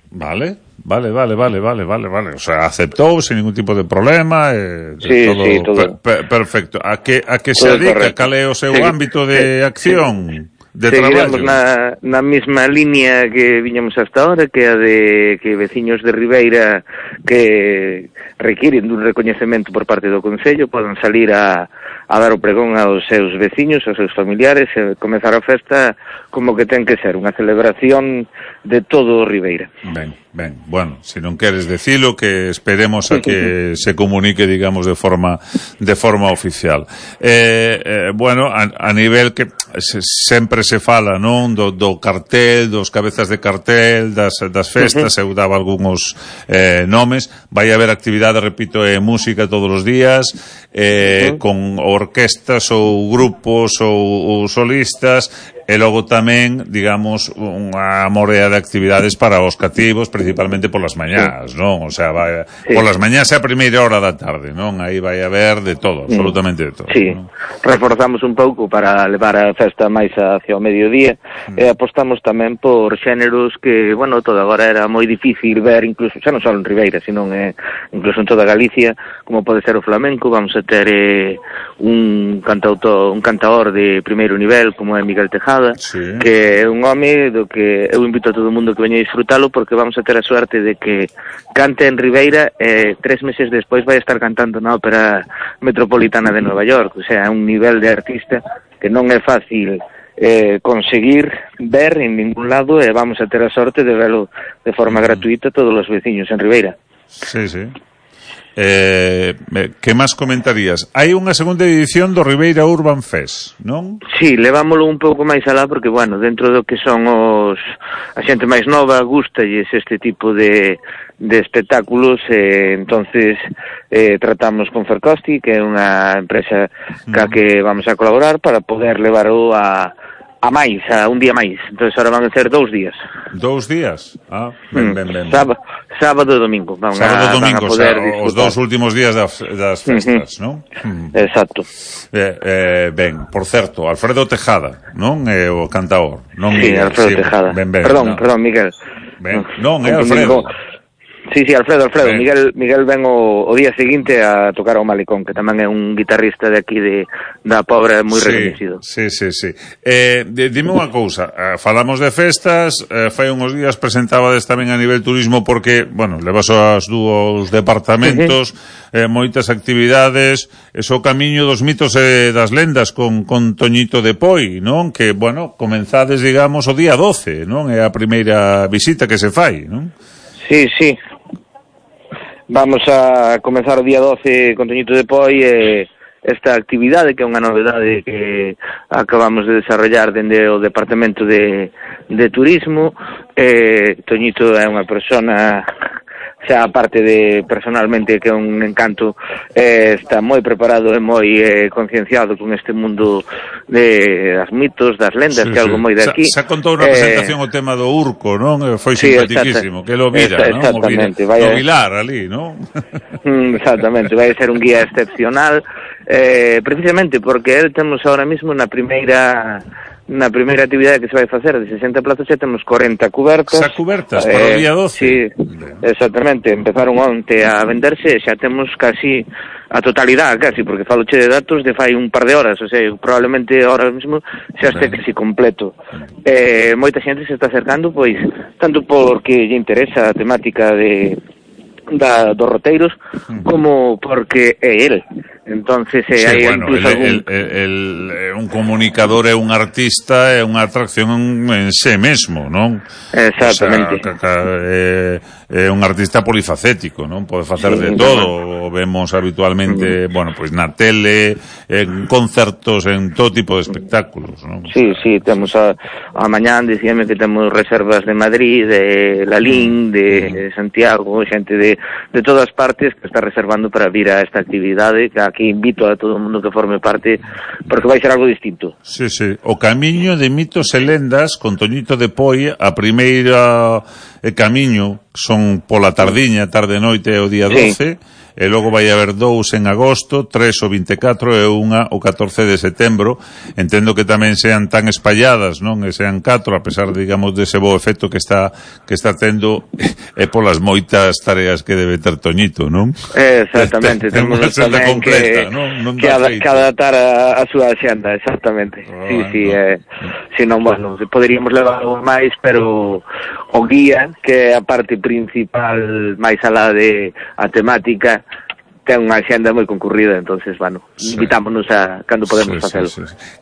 Vale. O sea, aceptou sin ningún tipo de problema. Todo. Perfecto. A que se dedica? Cal é o seu ámbito de acción? Seguiremos na mesma línea que viñamos hasta ahora, que a de que veciños de Ribeira que requiren dun recoñecemento por parte do Concello podan salir a dar o pregón aos seus veciños, aos seus familiares, e comezar a festa como que ten que ser, unha celebración de todo o Ribeira. Ben, bueno, se non queres decilo, que esperemos a que se comunique, digamos, de forma oficial. Bueno, a nivel que sempre se fala, non, do cartel, dos cabezas de cartel, das festas, eu daba algúns nomes. Vai haber actividade, repito, música todos os días, con orquestas ou grupos ou solistas, e logo tamén, digamos, unha morea de actividades para os cativos, principalmente polas mañás, non? O sea, polas mañás e a primeira hora da tarde, non? Aí vai haber de todo, absolutamente de todo. Sí, ¿no? Reforzamos un pouco para levar a festa máis hacia o mediodía, e apostamos tamén por xéneros que, bueno, todo agora era moi difícil ver, incluso, xa non só en Ribeira, sino incluso en toda Galicia, como pode ser o flamenco. Vamos a ter un cantaor de primeiro nivel, como é Miguel Tejada, que é un home do que eu invito a todo o mundo que veña a disfrutalo, porque vamos a ter a suerte de que cante en Ribeira e 3 meses despois vai estar cantando na Ópera Metropolitana de Nova York. O sea, un nivel de artista que non é fácil conseguir ver en ningún lado, e vamos a ter a sorte de verlo de forma gratuita todos os veciños en Ribeira. Sí, sí. Que máis comentarías? Hai unha segunda edición do Ribeira Urban Fest, non? Sí, levámoslo un pouco máis alá, porque, bueno, dentro do que son a xente máis nova, gústalles este tipo de espectáculos, entonces tratamos con Fercosti, que é unha empresa que vamos a colaborar para poder levarlo a un día máis. Entonces ahora van a ser 2 días. 2 días? Ah, ben. Sábado e domingo. Sábado e domingo, o sea, os 2 últimos días das festas, non? Exacto. Ben, por certo, Alfredo Tejada, non? É o cantaor, non? Sí, Alfredo Tejada. Perdón, Miguel. Ben, non, é Alfredo. Sí, Alfredo. Miguel ven o día seguinte a tocar ao Malecón, que tamén é un guitarrista de aquí da Pobra moi reconhecido. Sí. Dime unha cousa, falamos de festas, fai uns días presentabades tamén a nivel turismo, porque, bueno, levas aos dúos departamentos, moitas actividades, o camiño dos mitos e das lendas con Toñito de Poi, non? Que, bueno, comenzades, digamos, o día 12, non? É a primeira visita que se fai, non? Sí. Vamos a comenzar o día 12 con Toñito de Poi, esta actividade que é unha novedade que acabamos de desarrollar dende o Departamento de Turismo. Toñito é unha persona, xa aparte de personalmente que é un encanto, está moi preparado e moi concienciado con este mundo das mitos, das lendas, que é algo moi de aquí. Xa contou na presentación o tema do Urco, non? Foi simpaticísimo, que lo vira, non? Exactamente. O Vilar ali, non? Exactamente, vai ser un guía excepcional, precisamente porque temos ahora mismo na primeira actividade que se vai facer de 60 plazas, xa temos 40 cubertas. Xa cubertas para o día 12? Sí, exactamente. Empezaron onte a venderse, xa temos casi a totalidade, casi, porque faloche de datos de fai un par de horas, o sea, probablemente ahora mismo xa este casi completo. Moita xente se está acercando, pois, tanto porque lle interesa a temática dos roteiros, como porque é el. Entonces hai incluso un comunicador, é un artista, é unha atracción en sí mesmo, non? Exactamente. O sea, é un artista polifacético, non? Pode facer de todo, o vemos habitualmente, bueno, pois na tele, en concertos, en todo tipo de espectáculos, non? Sí, temos a mañán, dicíame que temos reservas de Madrid, de Lalín, de Santiago, xente de todas partes que está reservando para vir a esta actividade, que aquí invito a todo o mundo que forme parte, porque vai ser algo distinto. Sí. O camiño de mitos e lendas con Toñito de Poi, a primeira camiño son pola tardiña, tarde noite o día 12, e logo vai haber 2 en agosto, 3 o 24 e unha o 14 de setembro. Entendo que tamén sean tan espalladas, non? E sean 4, a pesar, digamos, dese bo efecto que está tendo, e polas moitas tareas que debe ter Toñito, non? Exactamente. Temos tamén completa, que adaptar a súa xenda, exactamente. Sí. Se non, bueno, poderíamos levar algo máis, pero o guía, que é a parte principal máis alá de a temática, ten unha xenda moi concurrida, entonces, bueno, invitámonos a cando podemos facelo.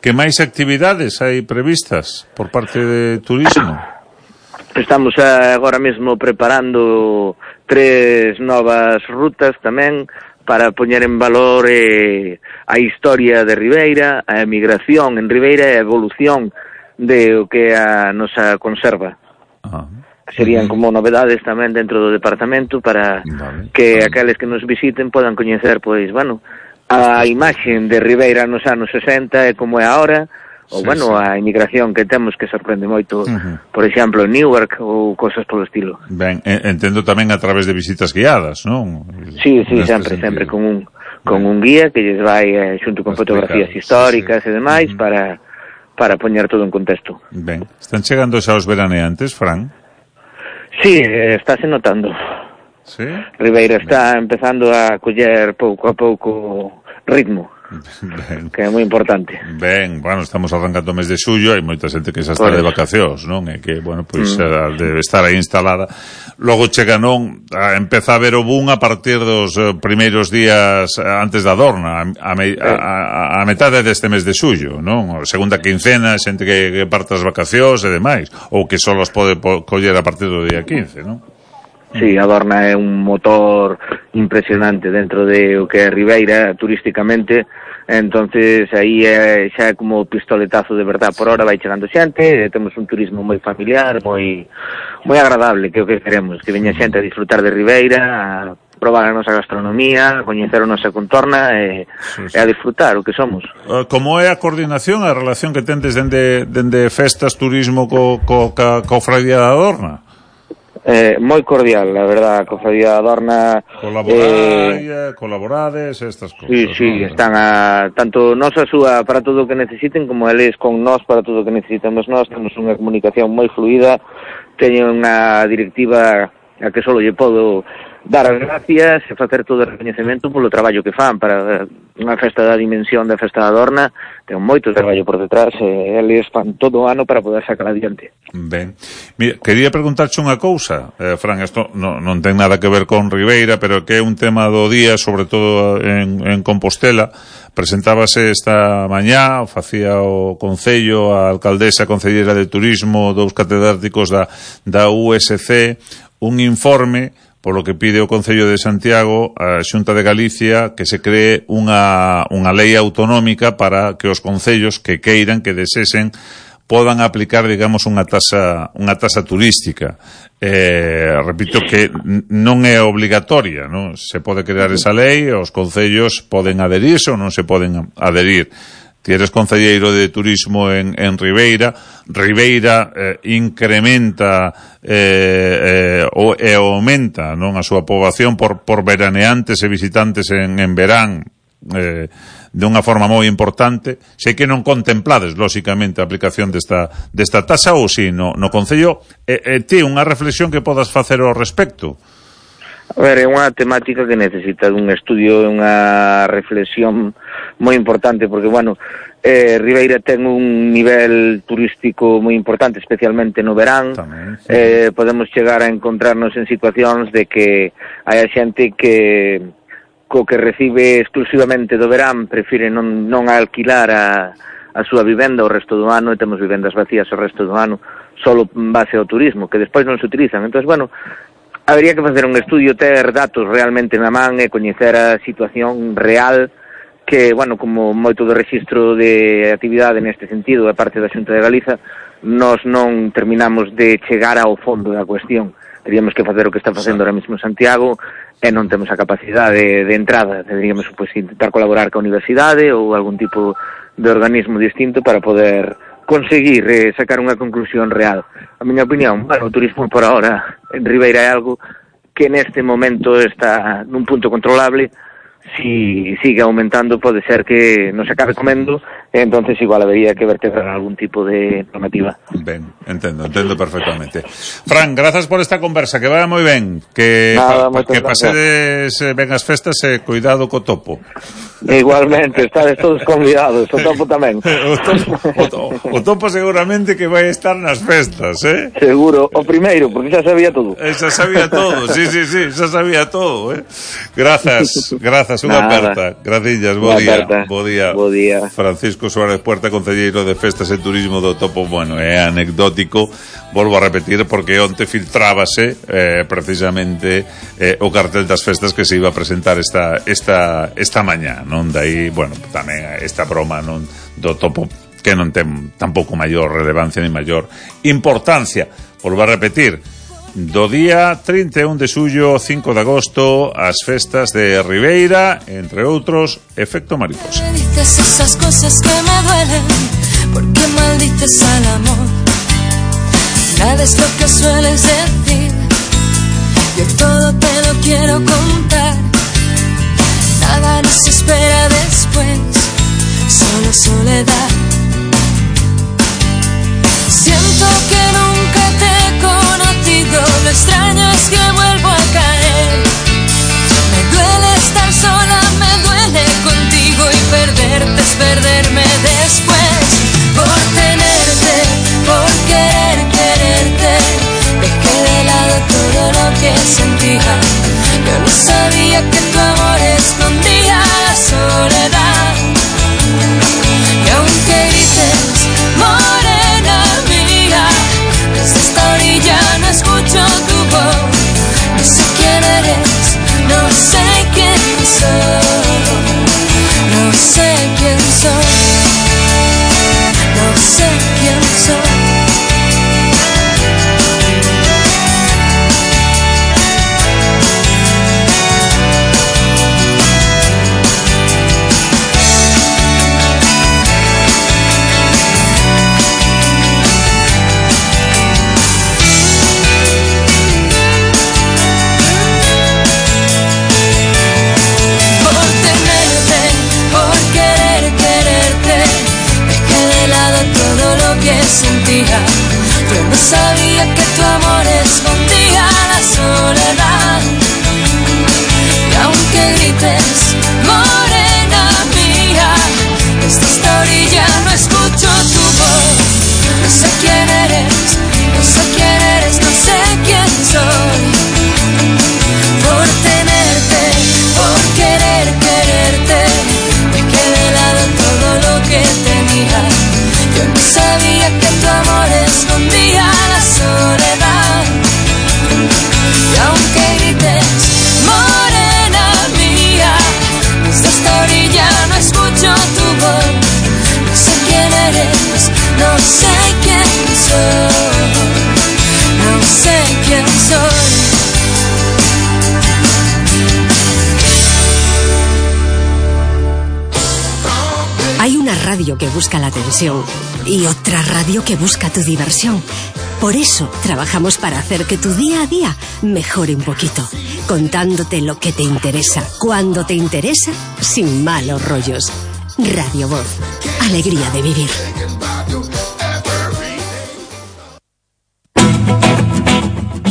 Que máis actividades hai previstas por parte de turismo? Estamos agora mesmo preparando 3 novas rutas tamén para poñer en valor a historia de Ribeira, a emigración en Ribeira e a evolución de o que a nosa conserva. Serían como novedades tamén dentro do departamento para que aqueles que nos visiten podan coñecer, pois, bueno, a imaxen de Ribeira nos anos 60 e como é agora, ou, bueno, a emigración que temos que sorprende moito, por exemplo, en Newark ou cosas polo estilo. Ben, entendo tamén a través de visitas guiadas, non? Sí, sempre con un guía que lles vai xunto con fotografías históricas e demais para poñer todo en contexto. Ben, están chegando xa os veraneantes, Fran? Sí, estáse notando. Sí? Ribeira está empezando a coller pouco a pouco ritmo. Ben. Que é moi importante. Ben, bueno, estamos arrancando o mes de xullo, hai moita xente que xa está de vacacións, non? E que, bueno, pois debe estar aí instalada. Logo chega, non, empeza a ver o boom a partir dos primeiros días antes da Adorna, a metade deste mes de xullo, non? Segunda quincena, xente que parte as vacacións e demais, ou que só os pode coller a partir do día 15, non? Sí, a Adorna é un motor impresionante dentro de o que é Ribeira turísticamente, entonces aí xa é como pistoletazo de verdad. Por hora vai chegando xente, temos un turismo moi familiar, moi agradable, que é o que queremos, que veña xente a disfrutar de Ribeira, a probar a nosa gastronomía, a coñecer a nosa contorna e a disfrutar o que somos. Como é a coordinación, a relación que tendes dende festas, turismo co Cofradía da Adorna? Moi cordial, la verdad, a Cofradía da Adorna. Colaborades, estas cosas. Sí, están tanto nós a súa para todo o que necesiten, como eles con nós para todo o que necesitamos nós. Temos unha comunicación moi fluida, teño unha directiva a que só lle podo dar as gracias e facer todo o reconhecemento polo traballo que fan para unha festa da dimensión da Festa da Adorna. Ten moito traballo por detrás e eles fan todo o ano para poder sacar adiante. Ben, mira, quería preguntarche unha cousa, Fran, isto non ten nada que ver con Ribeira, pero que é un tema do día, sobre todo en Compostela. Presentábase esta mañá, facía o Concello, a alcaldesa concellera de Turismo, dous catedráticos da USC, un informe polo que pide o Concello de Santiago a Xunta de Galicia que se cree unha lei autonómica para que os concellos que queiran, que desesen, podan aplicar, digamos, unha tasa turística. Repito que non é obligatoria, non? Se pode crear esa lei, os concellos poden adherirse ou non se poden adherir. Ti eres concelleiro de turismo en Ribeira. Ribeira incrementa e aumenta, non, a súa poboación por veraneantes e visitantes en verán de unha forma moi importante. Sei que non contemplades, lóxicamente, a aplicación desta tasa, ou si no Concello, ti unha reflexión que podas facer ao respecto? A ver, é unha temática que necesita un estudio e unha reflexión moi importante, porque, bueno, Ribeira ten un nivel turístico moi importante, especialmente no verán. Tamén, sí. Podemos chegar a encontrarnos en situacións de que hai xente que co que recibe exclusivamente do verán prefire non alquilar a súa vivenda o resto do ano, e temos vivendas vacías o resto do ano solo en base ao turismo, que despois non se utilizan. Entón, bueno, habría que facer un estudio, ter datos realmente na man e coñecer a situación real, que, bueno, como moito do rexistro de actividade neste sentido, a parte da Xunta de Galiza, nós non terminamos de chegar ao fondo da cuestión. Teríamos que facer o que está facendo ahora mesmo Santiago e non temos a capacidade de entrada. Deberíamos, pois, intentar colaborar ca universidade ou algún tipo de organismo distinto para poder conseguir sacar unha conclusión real. A miña opinión, bueno, o turismo por ahora en Ribeira é algo que neste momento está nun punto controlable. Si sigue aumentando, pode ser que nos acabe comendo, e entonces igual habería que vertebrar algún tipo de normativa. Ben, entendo perfectamente. Fran, grazas por esta conversa, que vaya moi ben, que pasedes ben as festas e cuidado co topo. Igualmente, estades todos convidados, o topo tamén. O topo seguramente que vai estar nas festas, Seguro, o primeiro, porque xa sabía todo. Xa sabía todo, sí, xa sabía todo, Grazas, unha aperta. Grazillas, bo día. Bo día. Francisco Francisco Suárez Puerta, concelleiro de Festas e Turismo do Topo. Bueno, é anecdótico, volvo a repetir, porque onte filtrábase precisamente o cartel das festas que se iba a presentar esta mañá, non? Dai, bueno, tamén esta broma non do Topo, que non ten tampouco maior relevancia ni maior importancia. Volvo a repetir, do día 31 de xullo, 5 de agosto, as festas de Ribeira, entre outros, Efecto Mariposa. Me dices esas cosas que me duelen, porque maldices al amor. Nada es lo que sueles decir, yo todo te lo quiero contar. Nada nos espera después, solo soledad. Siento que nunca te he conocido, lo extraño es que vuelvo a caer. Me duele estar sola, me duele contigo, y perderte es perderme después. Por tenerte, por querer quererte, dejé de lado todo lo que sentía. Yo no sabía que tu amor escondía la soledad. Y aunque grites, morena mía, desde esta orilla no escucho tu voz. No sé quién eres, no sé quién soy, no sé quién soy, no sé quién soy. Sentía, yo no sabía que tu amor escondía la soledad. Y aunque grites, morena mía, desde esta orilla no escucho tu voz. No sé quién eres, no sé quién eres, no sé quién soy. Por tenerte, por querer quererte, dejé de lado todo lo que tenía. Yo no sabía que tu amor escondía la soledad. Y aunque grites, morena mía, desde esta orilla no escucho tu voz. No sé quién eres, no sé quién soy, no sé quién soy. Hay una radio que busca la atención y otra radio que busca tu diversión. Por eso trabajamos para hacer que tu día a día mejore un poquito, contándote lo que te interesa, cuando te interesa, sin malos rollos. Radio Voz, alegría de vivir.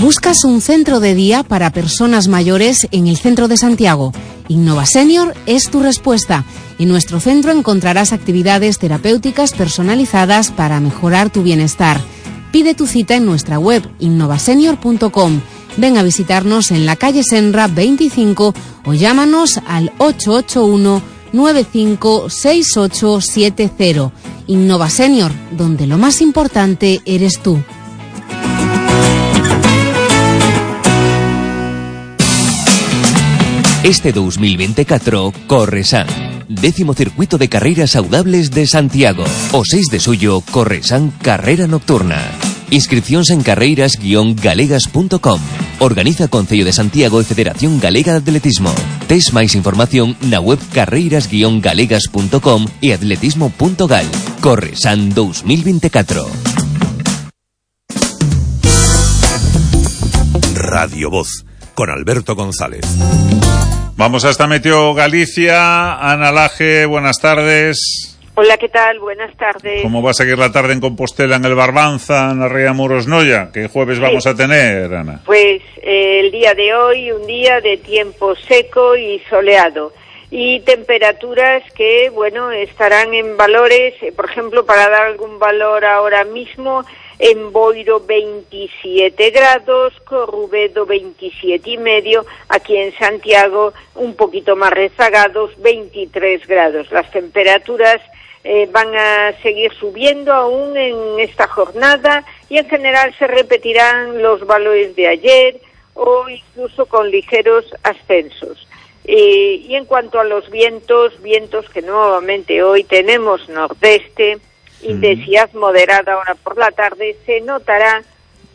¿Buscas un centro de día para personas mayores en el centro de Santiago? Innova Senior es tu respuesta. En nuestro centro encontrarás actividades terapéuticas personalizadas para mejorar tu bienestar. Pide tu cita en nuestra web innovasenior.com. Ven a visitarnos en la calle Senra 25 o llámanos al 881 956870. Innova Senior, donde lo más importante eres tú. Este 2024, Corresan. 10º circuito de carreras saudables de Santiago. O 6 de xullo, Corresan Carrera Nocturna. Inscripcións en carreiras-galegas.com. Organiza Concello de Santiago e Federación Galega de Atletismo. Tes máis información na web carreiras-galegas.com e atletismo.gal. Corresan 2024. Radio Voz, con Alberto González. Vamos hasta Meteo Galicia. Ana Laje, buenas tardes. Hola, ¿qué tal? Buenas tardes. ¿Cómo va a seguir la tarde en Compostela, en el Barbanza, en la Ría Muros Noya? ¿Qué jueves vamos a tener, Ana? Pues el día de hoy, un día de tiempo seco y soleado. Y temperaturas que, bueno, estarán en valores, por ejemplo, para dar algún valor ahora mismo, en Boiro 27 grados, Corrubedo 27,5, aquí en Santiago un poquito más rezagados, 23 grados. Las temperaturas van a seguir subiendo aún en esta jornada y en general se repetirán los valores de ayer o incluso con ligeros ascensos. Y en cuanto a los vientos que nuevamente hoy tenemos nordeste, intensidad moderada ahora por la tarde, se notará,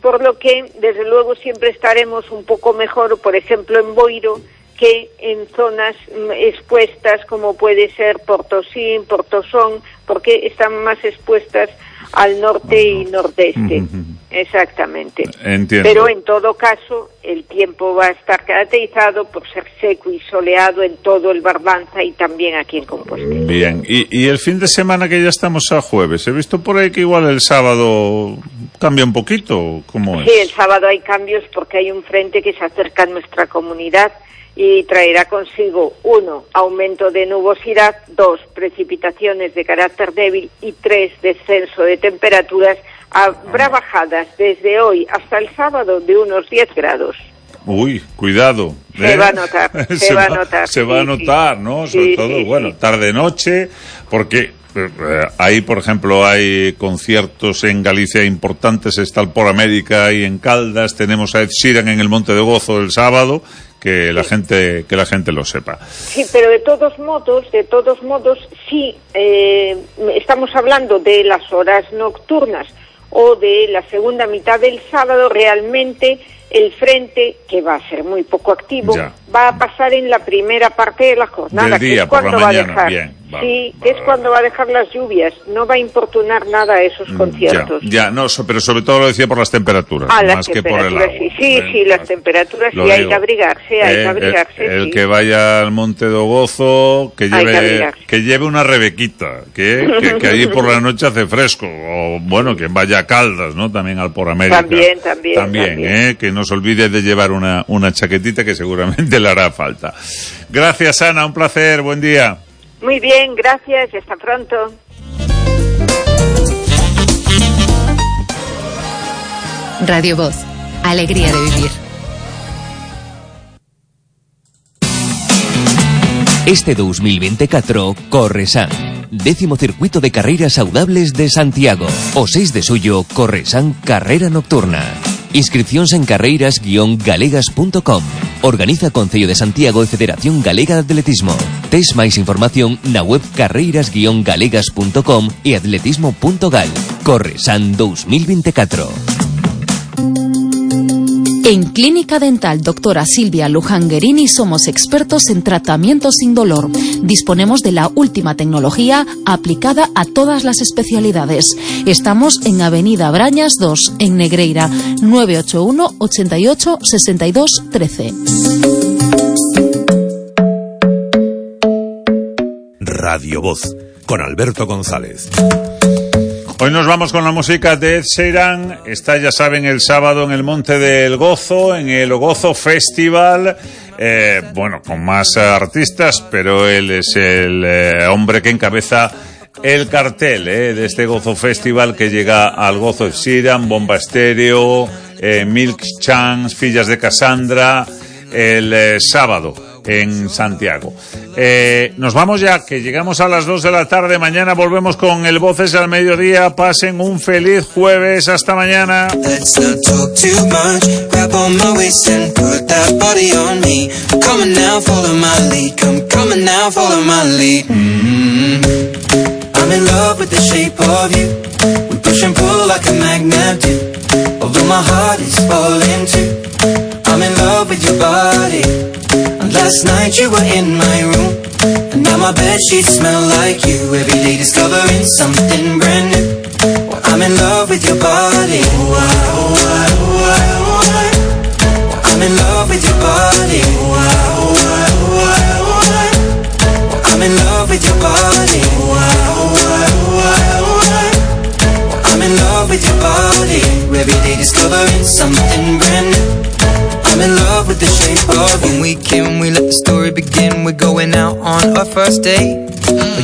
por lo que desde luego siempre estaremos un poco mejor, por ejemplo en Boiro, que en zonas expuestas como puede ser Portosín, Portosón, porque están más expuestas al norte y nordeste. Exactamente. Entiendo. Pero en todo caso, el tiempo va a estar caracterizado por ser seco y soleado en todo el Barbanza y también aquí en Compostela. Bien, y el fin de semana que ya estamos a jueves, he visto por ahí que igual el sábado cambia un poquito, ¿cómo es? Sí, el sábado hay cambios porque hay un frente que se acerca a nuestra comunidad y traerá consigo 1, aumento de nubosidad, 2, precipitaciones de carácter débil y 3, descenso de temperaturas. Habrá bajadas desde hoy hasta el sábado de unos 10 grados. Uy, cuidado. Se va a notar, se va a notar. Se va a notar, ¿no? Sobre todo, bueno, tarde-noche, porque ahí, por ejemplo, hay conciertos en Galicia importantes, está el Por América y en Caldas, tenemos a Ed Sheeran en el Monte de Gozo el sábado, que la gente lo sepa. Sí, pero de todos modos, sí, estamos hablando de las horas nocturnas o de la segunda mitad del sábado, realmente el frente, que va a ser muy poco activo, va a pasar en la primera parte de la jornada, del día, que es cuando por la mañana, va a dejar, bien, es cuando va a dejar las lluvias, no va a importunar nada a esos conciertos. Pero sobre todo lo decía por las temperaturas, más que por el agua. Sí, las temperaturas, sí, hay que abrigarse, el que vaya al Monte do Gozo, que lleve una rebequita, que allí por la noche hace fresco, o bueno, que vaya a Caldas, ¿no? También al Por América. También. Que no se olvide de llevar una chaquetita que seguramente le hará falta. Gracias, Ana, un placer, buen día. Muy bien, gracias y hasta pronto. Radio Voz, alegría de vivir. Este 2024, Corresan. 10º circuito de carreras saudables de Santiago. O 6 de suyo, Corresan Carrera Nocturna. Inscripcións en carreiras-galegas.com. Organiza Concello de Santiago e Federación Galega de Atletismo. Tes máis información na web carreiras-galegas.com e atletismo.gal. Corresan 2024. En Clínica Dental Doctora Silvia Lujanguerini somos expertos en tratamientos sin dolor. Disponemos de la última tecnología aplicada a todas las especialidades. Estamos en Avenida Brañas 2, en Negreira, 981 88 62 13. Radio Voz, con Alberto González. Hoy nos vamos con la música de Ed Sheeran. Está, ya saben, el sábado en el Monte del Gozo, en el Gozo Festival. Con más artistas, pero él es el hombre que encabeza el cartel de este Gozo Festival, que llega al Gozo Ed Sheeran, Bomba Estéreo, Milk Chance, Fillas de Cassandra, el sábado en Santiago. Nos vamos ya, que llegamos a las 2 de la tarde. Mañana volvemos con el Voces al Mediodía. Pasen un feliz jueves. Hasta mañana. Let's not talk too much. Grab on my waist and put that body on me. Come on now, follow my lead. Come on now, follow my lead. I'm in love with the shape of you. We push and pull like a magnet do. Although my heart is falling too. I'm in love with your body. And last night you were in my room. And now my bedsheets smell like you. Every day discovering something brand new. Well, I'm in love with your body. Oh, I, oh, I, oh, I, oh, I. Well, I'm in love with your body. Oh, I, oh, I, oh, I, oh, I. Well, I'm in love with your body. Oh, I, oh, I, oh, I, oh, I. Well, I'm in love with your body. Every day discovering something brand new. I'm in love with the shape of you. When we came, we let the story begin. We're going out on our first date.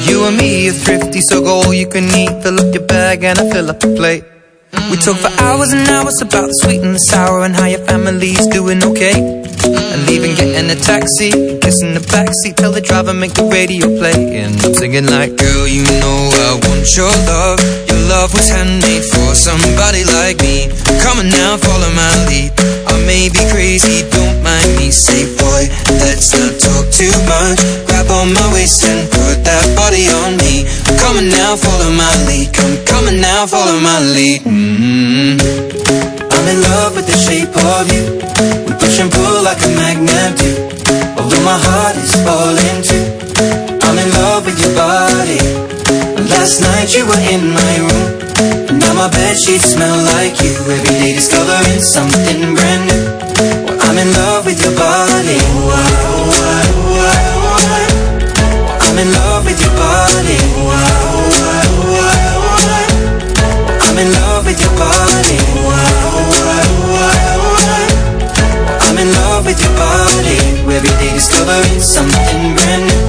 You and me are thrifty, so go all you can eat. Fill up your bag and I fill up the plate. We talk for hours and hours about the sweet and the sour and how your family's doing okay. And leaving, getting a taxi, kissing the backseat, tell the driver make the radio play. And I'm singing like, girl, you know I want your love. Your love was handmade for somebody like me. Come on now, follow my lead. I may be crazy, don't mind me. Say, boy, let's not talk too much. Grab on my waist and put that body on me. Come on now, follow my lead. Come on now, follow my lead. I'm in love with the shape of you. We push and pull like a magnet do. Although my heart is falling too. I'm in love with your body. Last night you were in my room, and now my bedsheets smell like you. Every day discovering something brand new. Well, I'm in love with your body. I'm in love with your body. I'm in love with your body. I'm in love with your body. Every day discovering something brand new.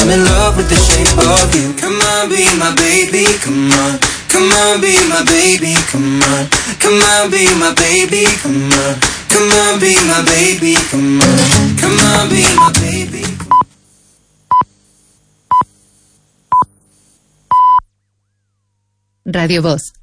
I'm in love with the shape of you. Come on, be my baby, come on. Come on, be my baby, come on. Come on, be my baby, come on. Come on, be my baby, come on. Come on, be my baby. Radio Voz.